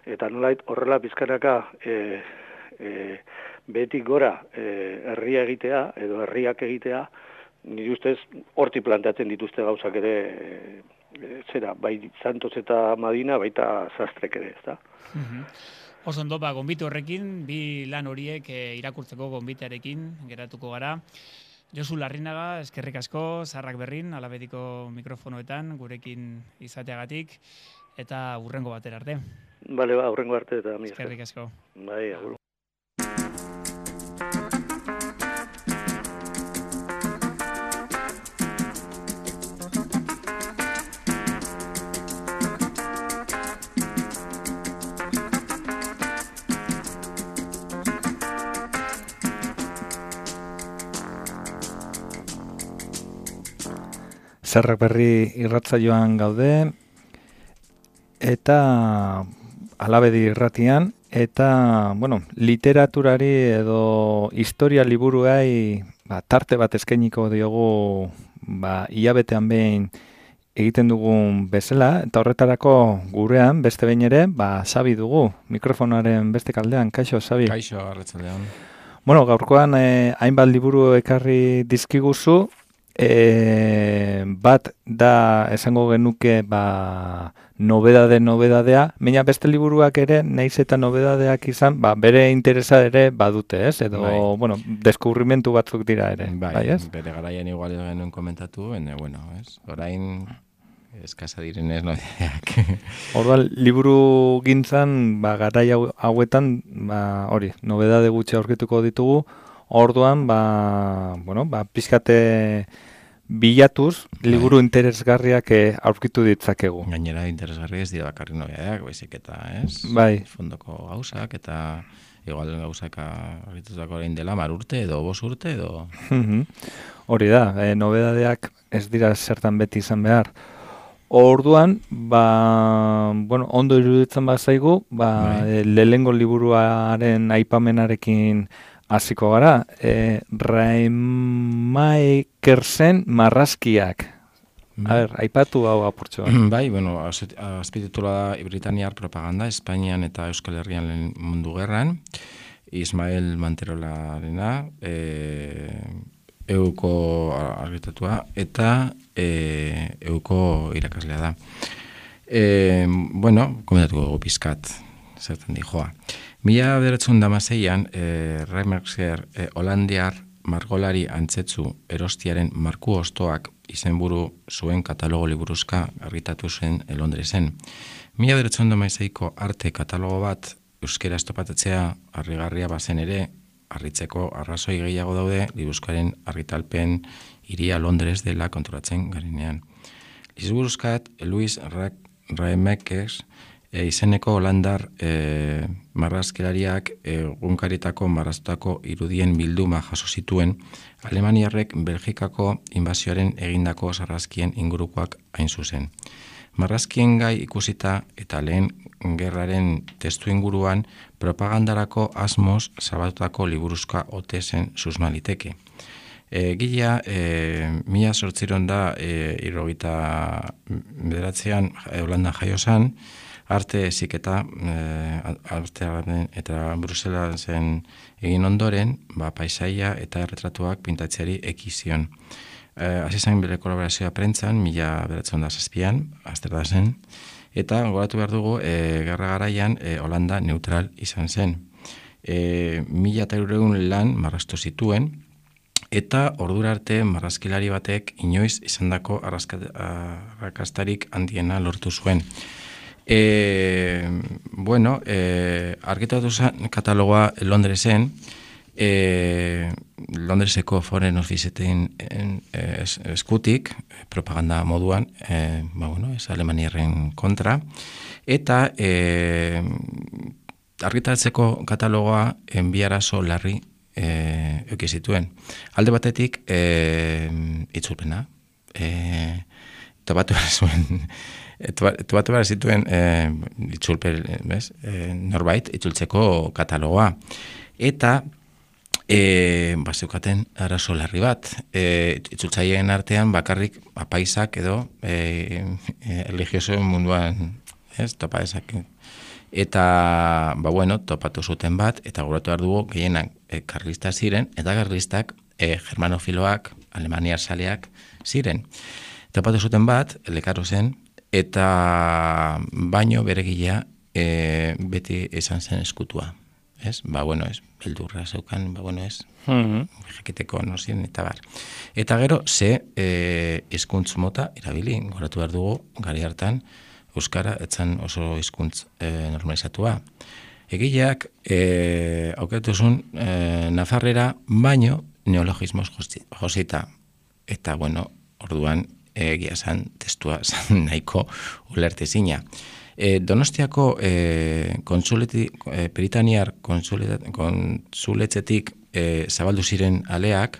eta nolait horrela pizkanaka e, e, behetik gora e, herria egitea, edo herriak egitea, nire ustez horti planteatzen dituzte gauzak ere, e, zera, bai Santos eta Madina, baita Sastrek ere, ez da? Mhm. Oso ondo, ba, gonbite horrekin, bi lan horiek e, irakurtzeko gonbitearekin geratuko gara. Josu Larrinaga, eskerrik asko, Zaharrak Berrin, Alabediko mikrofonoetan, gurekin izateagatik, eta hurrengo batera arte. Bale, ba, hurrengo arte eta mi. Eskerrik asko. Bai, agur. Zaharrak Berri irratsaioan gaude, eta Alabedi irratian, eta, bueno, literaturari edo historia liburuai ba, tarte bat eskainiko diogu ba, hilabetean behin egiten dugun bezala, eta horretarako gurean, beste behin ere, ba, Xabi dugu, mikrofonaren beste kaldean. Kaixo, Xabi? Kaixo, arratsaldean. Bueno, gaurkoan eh, hainbat liburu ekarri dizkiguzu, E, bat da esango genuke ba, nobedade nobedadea, baina beste liburuak ere, naiz eta nobedadeak izan, ba, bere interesa ere badute, ez? Edo, bai. Bueno, deskubrimentu batzuk dira ere, bai, bai ez? Bere garaian igual genuen komentatu, baina, bueno, ez? Orain eskasa direnez nobedadeak. Orduan, liburu gintzan, ba, garai hauetan, ba, hori, nobedade gutxi aurkituko ditugu, orduan, ba, bueno, ba, pixkate bilatuz, liburu bai. Interesgarriak aurkitu ditzakegu. Gainera, interesgarri ez dira bakarri nobedadeak, baizik eta, ez? Bai. Fondoko gauzak, eta igual gauzak argitutako orain dela, mar urte edo bos urte edo... Hori da, e, nobedadeak ez dira zertan beti izan behar. Orduan, ba, bueno, ondo iruditzen bazaigu, ba, bai. Lehengo liburuaren aipamenarekin hasiko gara, e, Raimaekersen Marrazkiak. A ber, aipatu hau apurtxo. Bai, bueno, azpititula da Britaniar propaganda, Espainian eta Euskal Herrian lehen mundu gerran, Ismael Manterolarena, e, euko argitatua, eta e, euko irakaslea da. E, bueno, komentatuko dugu pizkat, zertan di joa. Mila bederatziehun eta hamaseian, e, Reimersker e, Holandiar margolari antzetzu erostiaren marku ostoak izenburu zuen katalogo liburuzka argitatu zen Londresen. Mila bederatziehun eta hamaseiko arte katalogo bat euskera estopatatzea harrigarria bazen ere, harritzeko arrazoi gehiago daude liburuzkaren argitalpen hiria Londres dela konturatzen garenean. Liburuzkat, Louis Raimakers E, izeneko holandar e, marrazkilariak egunkaritako marraztutako irudien bilduma jaso zituen Alemaniarrek Belgikako inbazioaren egindako sarrazkien ingurukoak hain zuzen. Marrazkien gai ikusita eta lehen gerraren testu inguruan propagandarako asmoz zabatutako liburuzka ote zen susmaliteke. E, gila, e, mila sortziron da e, irrogita bederatzean e, Holanda jaiozan, arte ziketa, e, arte eta Bruselasen egin ondoren, ba, paisaia eta erretratuak pintatzeari ekizion. E, Azizan bere kolaborazioa prentzan, mila beratzen da zazpian, azter da zen, eta goratu behar dugu, e, gerra garaian, e, Holanda neutral izan zen. E, mila eta eureun lan marraztu zituen, eta ordura arte marrazkilari batek inoiz izandako arrakastarik handiena lortu zuen. E, bueno, e, argitatu zen katalogoa Londresen, e, Londreseko Foreign Officeetin es, eskutik, propaganda moduan, e, ba, bueno, ez Alemaniarren kontra, eta e, argitatzeko katalogoa enbiarazo larri e, eukizituen. Alde batetik, e, itzulpena, e, eta batu behar zuen, Etu batu behar zituen e, itzulpe, bez, e, norbait, itzultzeko katalogoa. Eta e, ba, zeukaten arazo larri bat. E, itzultzaileen artean bakarrik apaisak edo e, e, religioso munduan, ez, topa dezake. Eta, ba, bueno, topatu zuten bat, eta guratu behar dugu gehienak e, karlistak ziren, eta karlistak e, germanofiloak, alemaniar saleak ziren. Topatu zuten bat, lekaro zen, eta baino beregilea e, beti izan zen eskutua. Ez? Ba, bueno, ez, beldurra zeukan, ba, bueno, ez, mm-hmm. jakiteko nozien, eta bar. Eta gero, ze e, hizkuntz mota erabili, goratu behar dugu, gari hartan, euskara etzan oso hizkuntz e, normalizatua. Egileak, e, aukeratuzun, e, nafarrera, baino neologismos josita. Eta, bueno, orduan, egia zan, testua zan nahiko ulertezina. E, Donostiako e, konsuleti, e, Britaniar konsuletzetik e, zabaldu ziren aleak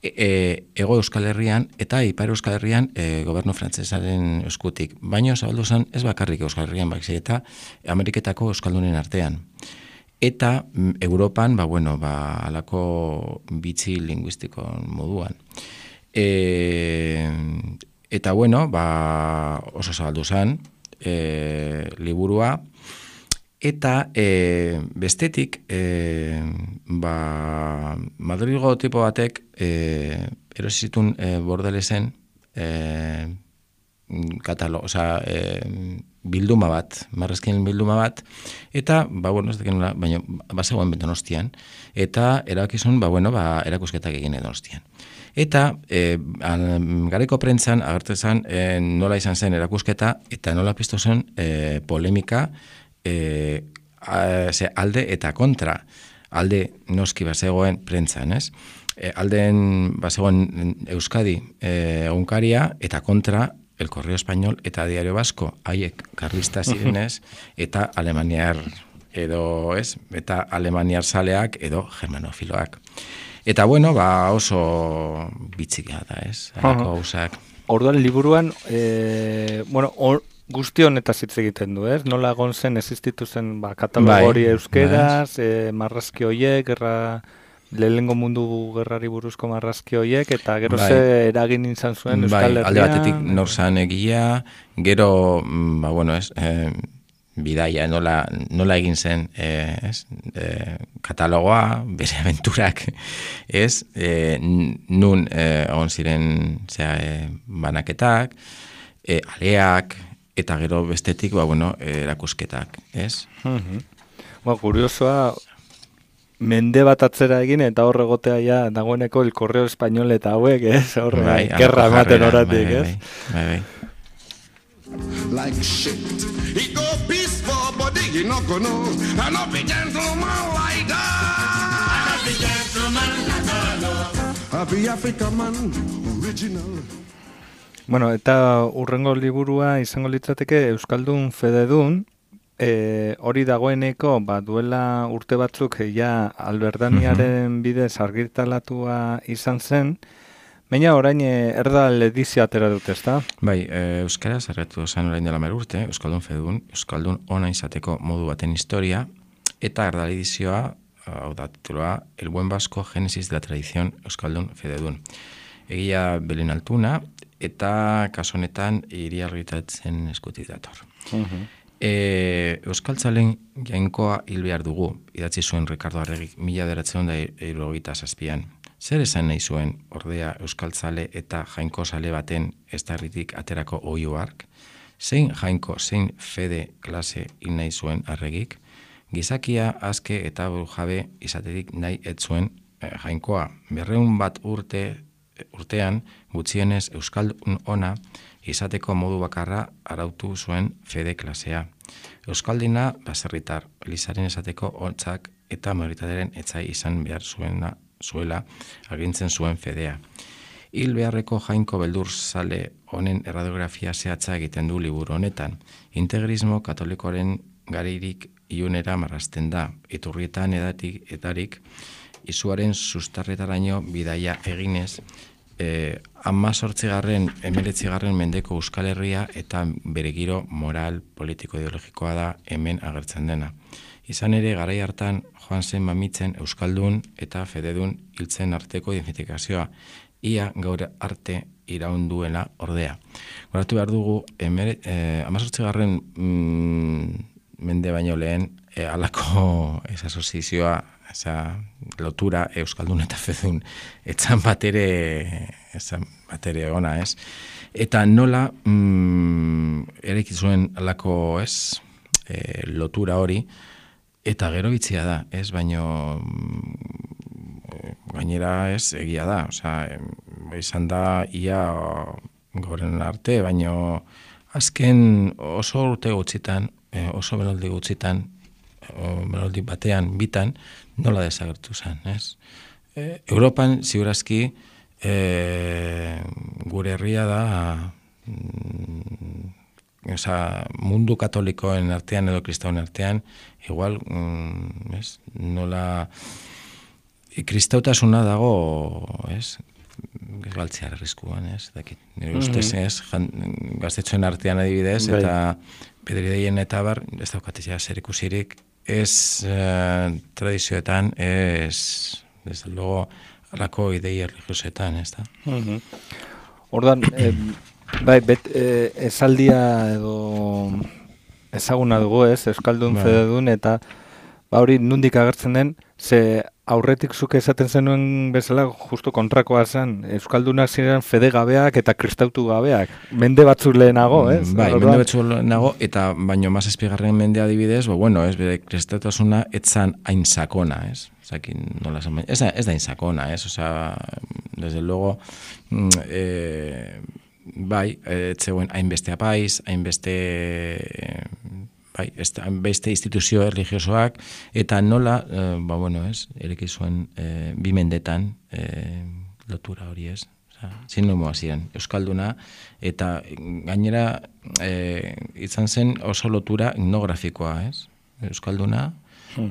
e, Ego Euskal Herrian eta Ipar Euskal Herrian e, gobernu frantsesaren eskutik. Baina zabaldu zen ez bakarrik Euskal Herrian, baizik eta Ameriketako euskaldunen artean. Eta Europan, ba, bueno, ba, alako bitxi linguistiko moduan. E, eta, bueno, ba, oso zabaldu zen, E, liburua, eta e, bestetik e, ba, Madrilgo tipo batek e, erosizitun e, Bordelesen e, katalo, oza, e, bilduma bat, marrezkien bilduma bat, eta, ba, bueno, ez dekenula, baina, bazegoen Donostian, eta erakizun, ba, bueno, ba, erakusketak egin Donostian. Eta e, gareko prentzan agertzen e, nola izan zen erakusketa eta nola piztu zen e, polemika e, a, ze, alde eta kontra. Alde noski bazegoen prentzan, ez? E, alden bazegoen Euskadi e, egunkaria eta kontra El Correo Español eta Diario Vasco, haiek karlista zirenez eta alemaniar edo, ez? Eta alemaniar saleak edo germanofiloak. Eta, bueno, ba, oso bitxika da, ez? Alako hausak. Orduan, liburuan, e, bueno, or, guzti honetaz hitz egiten du, ez? Nola egon zen, existitu zen, ba, katalogori bai, euskeraz, bai. e, marrazki hoiek, gerra, lehengo mundu gerrari buruzko marrazki hoiek, eta gero bai. Ze eragin izan zuen Euskal Herrian. Bai, alde batetik norzan egia, gero, ba, bueno, ez, e, bidaia, nola, nola egin zen eh, ez, eh, katalogoa, bere aventurak, ez, eh, nun eh, egon ziren zera, eh, banaketak, eh, aleak, eta gero bestetik, ba, bueno, eh, erakusketak, ez? Uh-huh. Ba, kuriosoa, mende bat atzera egin, eta horre gotea ja, dagoeneko El Correo Español eta hauek, ez? Horre, bai, gerra ematen horatik, bai, ez? Bai, bai, bai. Like shit. He go peaceful, but he no go no. I no be gentleman like that. I no be gentleman like that. I be African man, original. Bueno, eta urrengo liburua izango litzateke Euskaldun Fededun, e, hori dagoeneko, ba, duela urte batzuk ja Alberdaniaren bidez argitaratua izan zen. Baina orain erdal edizio atera dut, ezta? Bai, e, euskaraz arretu zen orain dela mer urte, Euskaldun Fededun, Euskaldun ona izateko modu baten historia, eta erdal edizioa, hau da tituloa, El buen vasco, Génesis de la tradición Euskaldun Fededun. Egia Belen Altuna, eta kasu honetan hiri argitaratzen eskutik dator. Uh-huh. E, Euskaltzalen jainkoa hil behar dugu, idatzi zuen Ricardo Arregik mila bederatziehun eta hirurogeita zazpian. Zer esan nahi zuen ordea euskaltzale eta jainko sale baten estarritik aterako oio hark? Zein jainko, zein fede klase hil nahi zuen Arregik? Gizakia azke eta burujabe izaterik nahi ez zuen eh, jainkoa. Berreun bat urte urtean gutxienez euskaldun ona izateko modu bakarra arautu zuen fede klasea. Euskaldina baserritar, elizaren esateko hontzak eta majoritaderen etzai izan behar zuena zuela agintzen zuen fedea. Hil beharreko jainko beldur zale honen erradiografia zehatza egiten du liburu honetan. Integrismo katolikoaren garirik ilunera marrazten da. Iturrietan edatik etarik izuaren sustarretaraino bidaia eginez eh, amazortzigarren, emeretzigarren mendeko Euskal Herria eta bere giro moral, politiko, ideologikoa da hemen agertzen dena. Izan ere, garai hartan joan zen mamitzen Euskaldun eta fededun hiltzen arteko identifikazioa, ia gaur arte iraunduela ordea. Goratu behar dugu, eh, amazortzigarren mm, mende baino lehen, eh, alako esa asozizioa, esa lotura Euskaldun eta fededun, etzan batere, etzan batere ona, ez? Eta nola, mm, ereki zuen alako, ez, eh, lotura hori, eta gero bitzia da, ez, baino gainera ez egia da, osea, izan da ia goren arte, baino azken oso urte gutxitan, oso beloldi gutxitan, beloldi batean, bitan, nola desagertu zen, ez? E, Europan, ziurazki, e, gure herria da, mm, Osa, mundu katolikoen artean edo kristauen artean, igual, mm, ez, nola, kristautasuna dago, ez, galtzear arriskuan, ez, dakit, nire ustez, ez, gaztetxoen artean adibidez, Bai. eta pedrideien eta bar, ez daukatizia zer ikusirik, ez eh, tradizioetan, ez, desde luego, alako idei religiosetan, ez da. Mhm. Ordan, eh, bai, bet, eh, esaldia edo ezaguna dugu, ez, Euskaldun, Bai. fededun, eta ba hori nundik agertzen den, ze aurretik zuke esaten zenuen bezala justu kontrakoa zen, Euskaldunak ziren fede gabeak eta kristautu gabeak, mende batzuk lehenago, ez? Bai, Orduan- mende batzuk lehenago, eta baino mazazpigarren mende adibidez, bo, bueno, ez, bere kristautasuna etzan hain sakona, ez? Zakin, nola esan, baina, ez da, ez da hain sakona, ez? Osa, desde luego, mm, eh, bai, etzeuen hainbeste apaiz, hainbeste, bai, hainbeste instituzio religiosoak, eta nola, eh, ba, bueno, ez, ereki zuen eh, bi mendetan eh, lotura hori, ez? Osa, sinonimoa ziren, Euskalduna, eta gainera eh, izan zen oso lotura etnografikoa, ez? Euskalduna,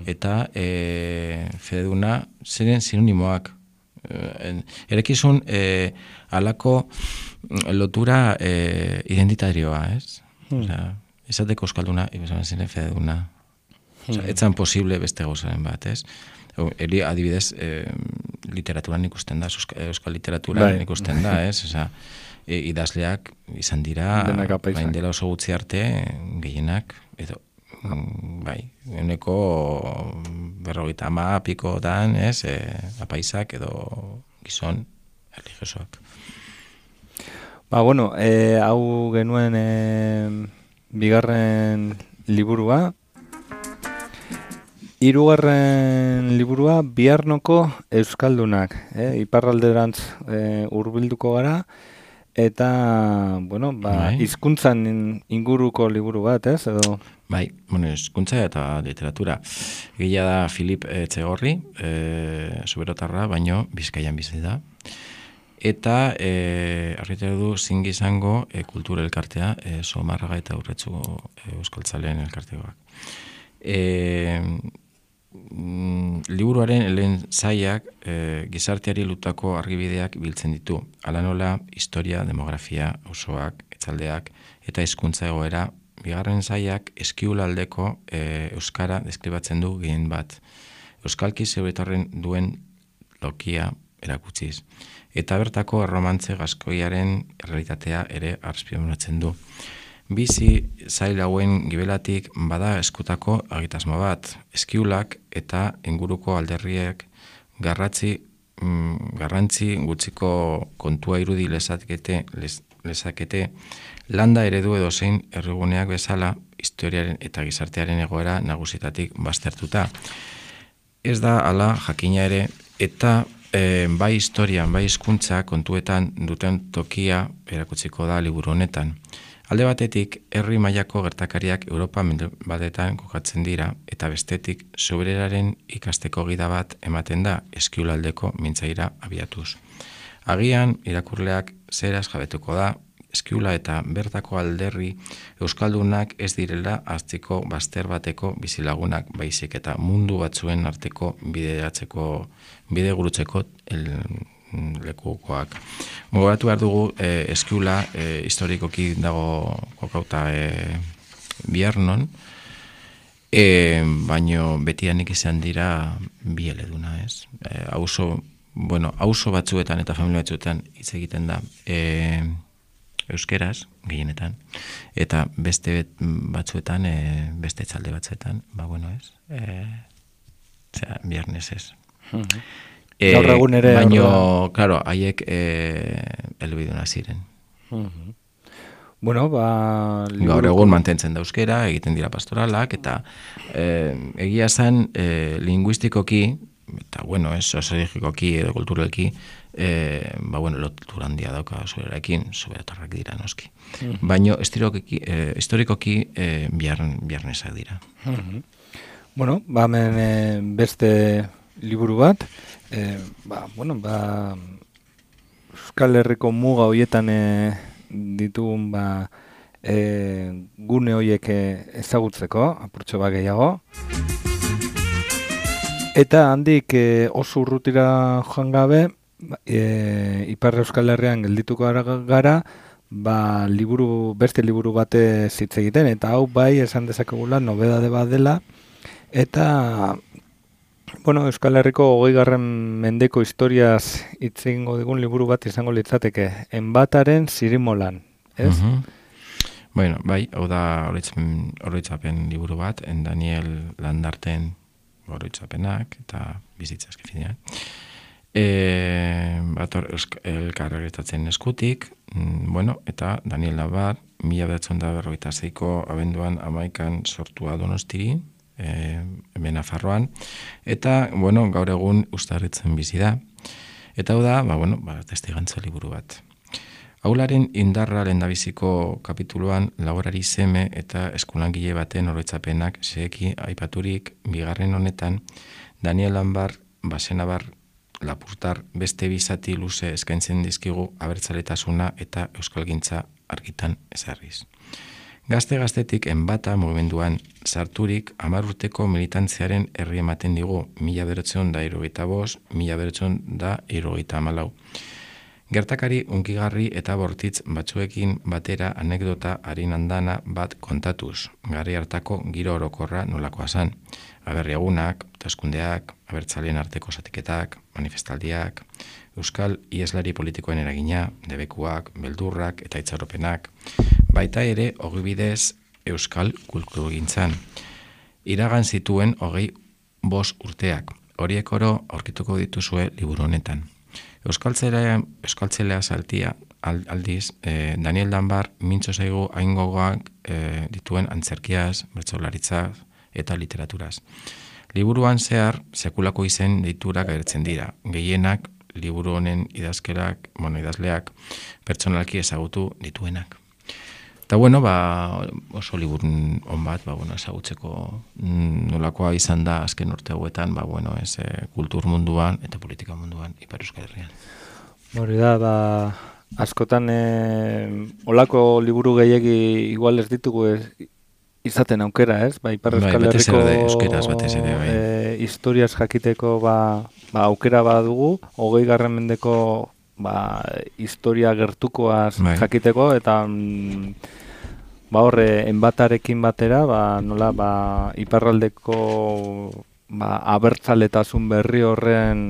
eta eh, fededuna ziren sinonimoak. Eh, erekizun eh, alako lotura eh, identitarioa, ez? Osea, esateko Euskalduna, izan ziren fededuna. Osea, etzan posible beste gozaren bat, ez? Eri adibidez, eh, literaturan ikusten da, euskal, euskal literaturan Bai. ikusten da, ez? Osea, e, idazleak izan dira, Denak apaizak. bain dela oso gutxi arte, gehienak, edo, mm, bai, euneko berrogeita ama pikotan, ez, e, apaisak edo gizon religiosoak. Ba, bueno, e, hau genuen e, bigarren liburua. Hirugarren liburua Biarnoko Euskaldunak, eh? Iparralderantz e, hurbilduko gara, eta, bueno, ba, Bai. hizkuntzan inguruko liburu bat, ez? Edo... Bai, bueno, hizkuntza eta literatura. Egia da Filip Etxegorri, e, Zuberotarra, baino Bizkaian bizi da. Eta e, argitara du zingi izango e, kultura elkartea, e, Somarraga eta Urretxu e, euskaltzaleen elkartegoak. E, mm, liburuaren lehen zaiak e, gizarteari lutako argibideak biltzen ditu. Hala nola, historia, demografia, osoak, etzaldeak eta hizkuntza egoera. Bigarren zaiak eskiulaldeko e, euskara deskribatzen du gehien bat. Euskalki zeuretarren duen lokia erakutsiz. Eta bertako erromantze gaskoiaren realitatea ere azpimarratzen du. Bizi zail hauen gibelatik bada eskutako agitasmo bat, eskiulak eta inguruko alderriek garratzi, mm, garrantzi gutxiko kontua irudi lezakete, les, lezakete landa eredu edo zein erriguneak bezala historiaren eta gizartearen egoera nagusitatik baztertuta. Ez da hala jakina ere eta E, bai historian, bai hizkuntza kontuetan duten tokia erakutsiko da liburu honetan. Alde batetik, herri mailako gertakariak Europa mendebaldetan kokatzen dira, eta bestetik, sobereraren ikasteko gida bat ematen da eskiulaldeko mintzaira abiatuz. Agian, irakurleak zeraz jabetuko da, eskiula eta bertako alderri euskaldunak ez direla aztiko bazter bateko bizilagunak baizik eta mundu batzuen arteko bideratzeko, bide gurutzeko el, lekukoak. Gogoratu behar dugu, e, eskiula e, historikoki dago kokauta e, Biernon, e, baino betianik izan dira bi eleduna, ez? E, auzo, bueno, auzo batzuetan eta familia batzuetan hitz egiten da e, euskeraz, gehienetan, eta beste batzuetan, e, beste txalde batzuetan, ba, bueno, ez? E, Osea, Biernes ez. Mhm. E, Gaur egun ere... Baino, orduan. claro, haiek e, elebiduna ziren. Mhm. Bueno, ba... Gaur egun mantentzen da euskera, egiten dira pastoralak, eta e, egia zen e, linguistikoki, eta bueno, ez, soziologikoki edo kulturalki, e, ba bueno, lotura handia dauka zuerarekin, soberatarrak dira noski. Mhm. Baino, historikoki, e, historikoki e, biarn, biarnesak dira. Mhm. Bueno, ba, hemen e, beste liburu bat, e, ba, bueno, ba, Euskal Herriko muga hoietan e, ditugun, ba, e, gune hoiek e, ezagutzeko, apurtxo bat gehiago. Eta handik e, oso urrutira joan gabe, e, Ipar Euskal Herrian geldituko gara, gara ba, liburu, beste liburu bate hitz egiten, eta hau bai esan dezakegula nobedade bat dela, eta bueno, Euskal Herriko hogeigarren mendeko historiaz hitz egingo digun liburu bat izango litzateke, Enbataren Zirimolan, ez? Uh-huh. Bueno, bai, hau da oroitzapen liburu bat, en Daniel Landarten oroitzapenak eta bizitza eskifinean. E, bator elkarretatzen eskutik, mm, bueno, eta Daniel Labar, mila bederatzen da berrogeita zeiko abenduan amaikan sortua Donostiri, e, hemen Nafarroan, eta, bueno, gaur egun Uztarritzen bizi da. Eta hau da, ba, bueno, ba, testigantza liburu bat. Aularen indarra lehendabiziko kapituluan laborari seme eta eskulangile baten oroitzapenak seki aipaturik bigarren honetan Daniel Lanbar, Basenabar, Lapurtar beste bizati luze eskaintzen dizkigu abertzaletasuna eta euskalgintza argitan ezarriz. Gazte-gaztetik enbata mugimenduan sarturik hamar urteko militantziaren herri ematen digu mila bederatziehun da hirurogeita bost, mila bederatziehun da hirurogeita hamalau. Gertakari unkigarri eta bortitz batzuekin batera anekdota harin andana bat kontatuz, garri hartako giro orokorra nolakoa zan. Aberriagunak, taskundeak, abertzaleen arteko zatiketak, manifestaldiak, euskal ieslari politikoen eragina, debekuak, beldurrak eta itxaropenak, baita ere ogibidez euskal kulturgintzan. Iragan zituen hogei bost urteak, horiek oro aurkituko dituzue liburu honetan. Euskaltzelea, euskaltzelea saltia aldiz, eh, Daniel Lanbar mintzo zaigu aingogoak eh, dituen antzerkiaz, bertsolaritzaz eta literaturaz. Liburuan zehar, sekulako izen deiturak agertzen dira. Gehienak, liburu honen idazkerak, bueno, idazleak, pertsonalki ezagutu dituenak. Eta bueno, ba, oso liburun on bat, ba, bueno, ezagutzeko nolakoa izan da azken urte hauetan, ba, bueno, ez, e, kultur munduan eta politika munduan Ipar Euskal Herrian. Hori da, ba, askotan e, olako liburu gehiegi igual ez ditugu ez, izaten aukera, ez? Ba, Ipar Euskal Herriko e, historiaz jakiteko ba, ba, aukera badugu, hogei garren mendeko ba, historia gertukoaz bai. Jakiteko, eta mm, ba horre, enbatarekin batera, ba, nola, ba, iparraldeko ba, abertzaletasun berri horren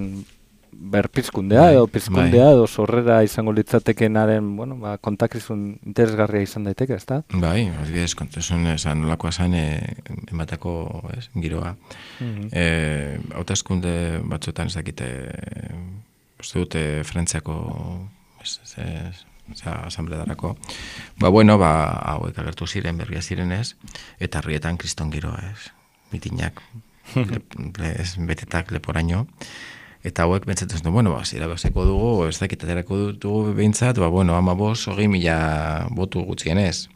berpizkundea, bai, edo pizkundea, bai. Edo sorrera izango litzatekenaren, bueno, ba, kontakizun interesgarria izan daiteke, ezta? Bai, adibidez, kontakizun esan nolakoa zan, e, enbatako, ez, giroa. Mm-hmm. E, hauteskunde batzuetan ez dakite, uste dute Frantziako asambledarako. Ba, bueno, ba, hauek agertu ziren, berria zirenez, eta herrietan kriston giroa, ez, mitinak, le, le, ez, betetak leporaino. Eta hauek bentsatzen du, bueno, ba, zira bezeko dugu, ez dakit aterako dugu behintzat, ba, bueno, ama bost, hogei mila botu gutxienez.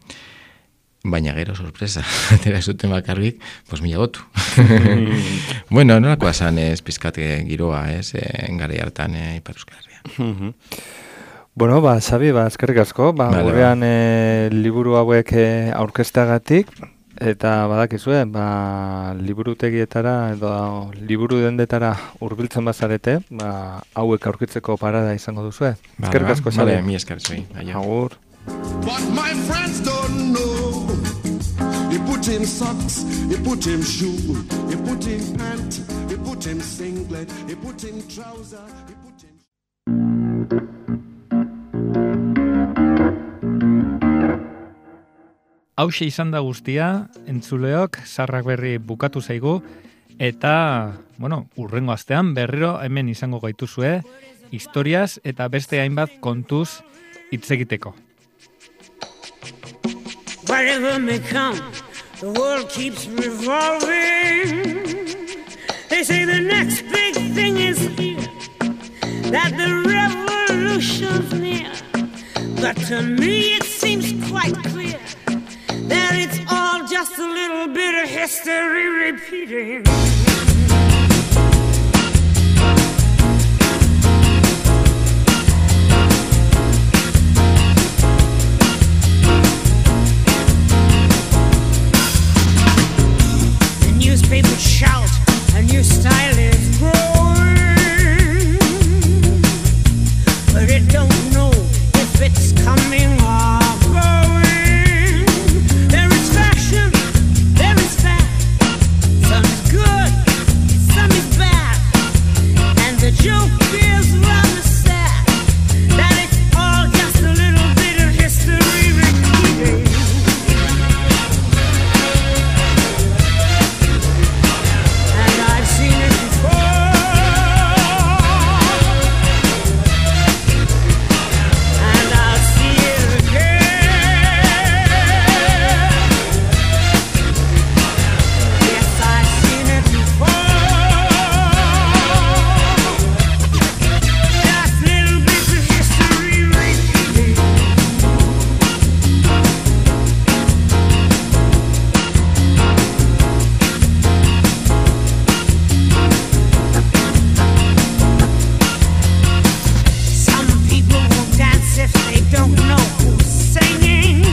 Baina gero, sorpresa, atera zuten bakarrik, pues mila botu. Bueno, nolakoa zan ez pizkat giroa, ez, engari hartan e, Ipar Euskal Herria. Bueno, ba, Xabi, ba, eskerrik asko, ba, gurean e, liburu hauek e, aurkezteagatik, Eta badakizue, ba, liburutegietara edo liburu dendetara hurbiltzen bazarete, ba, hauek aurkitzeko parada izango duzue. Eskerrik asko Xabi. Vale, mi esker zui. Agur. But my friends don't know. You put him socks, you put him shoe, you put him pant, you put him singlet, you put him trouser, you put him... Hauxe izan da guztia, entzuleok, Sarrak Berri bukatu zaigu, eta, bueno, urrengo astean berriro hemen izango gaituzue, historiaz eta beste hainbat kontuz hitz egiteko. Whatever may come, the world keeps revolving. They say the next big thing is here, that the revolution's near. But to me it seems quite clear that it's all just a little bit of history repeating. The newspapers shout, a new style is growing, but it don't know if it's coming or going. There is fashion, there is fat, some is good, some is bad, and the joke is rather sad, that it's all just a little bit of history repeating. And I've seen it before, and I'll see it again. Yes, I've seen it before. Just little bits of history repeating. Some people won't dance if they don't know who's singing.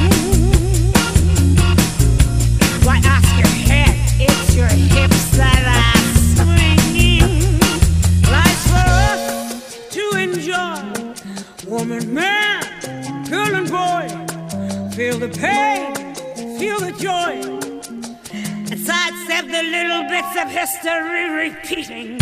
Why ask your head? It's your hips that are swinging. Life's for us to enjoy. Woman, man, girl and boy, feel the pain, feel the joy, and sidestep the little bits of history repeating.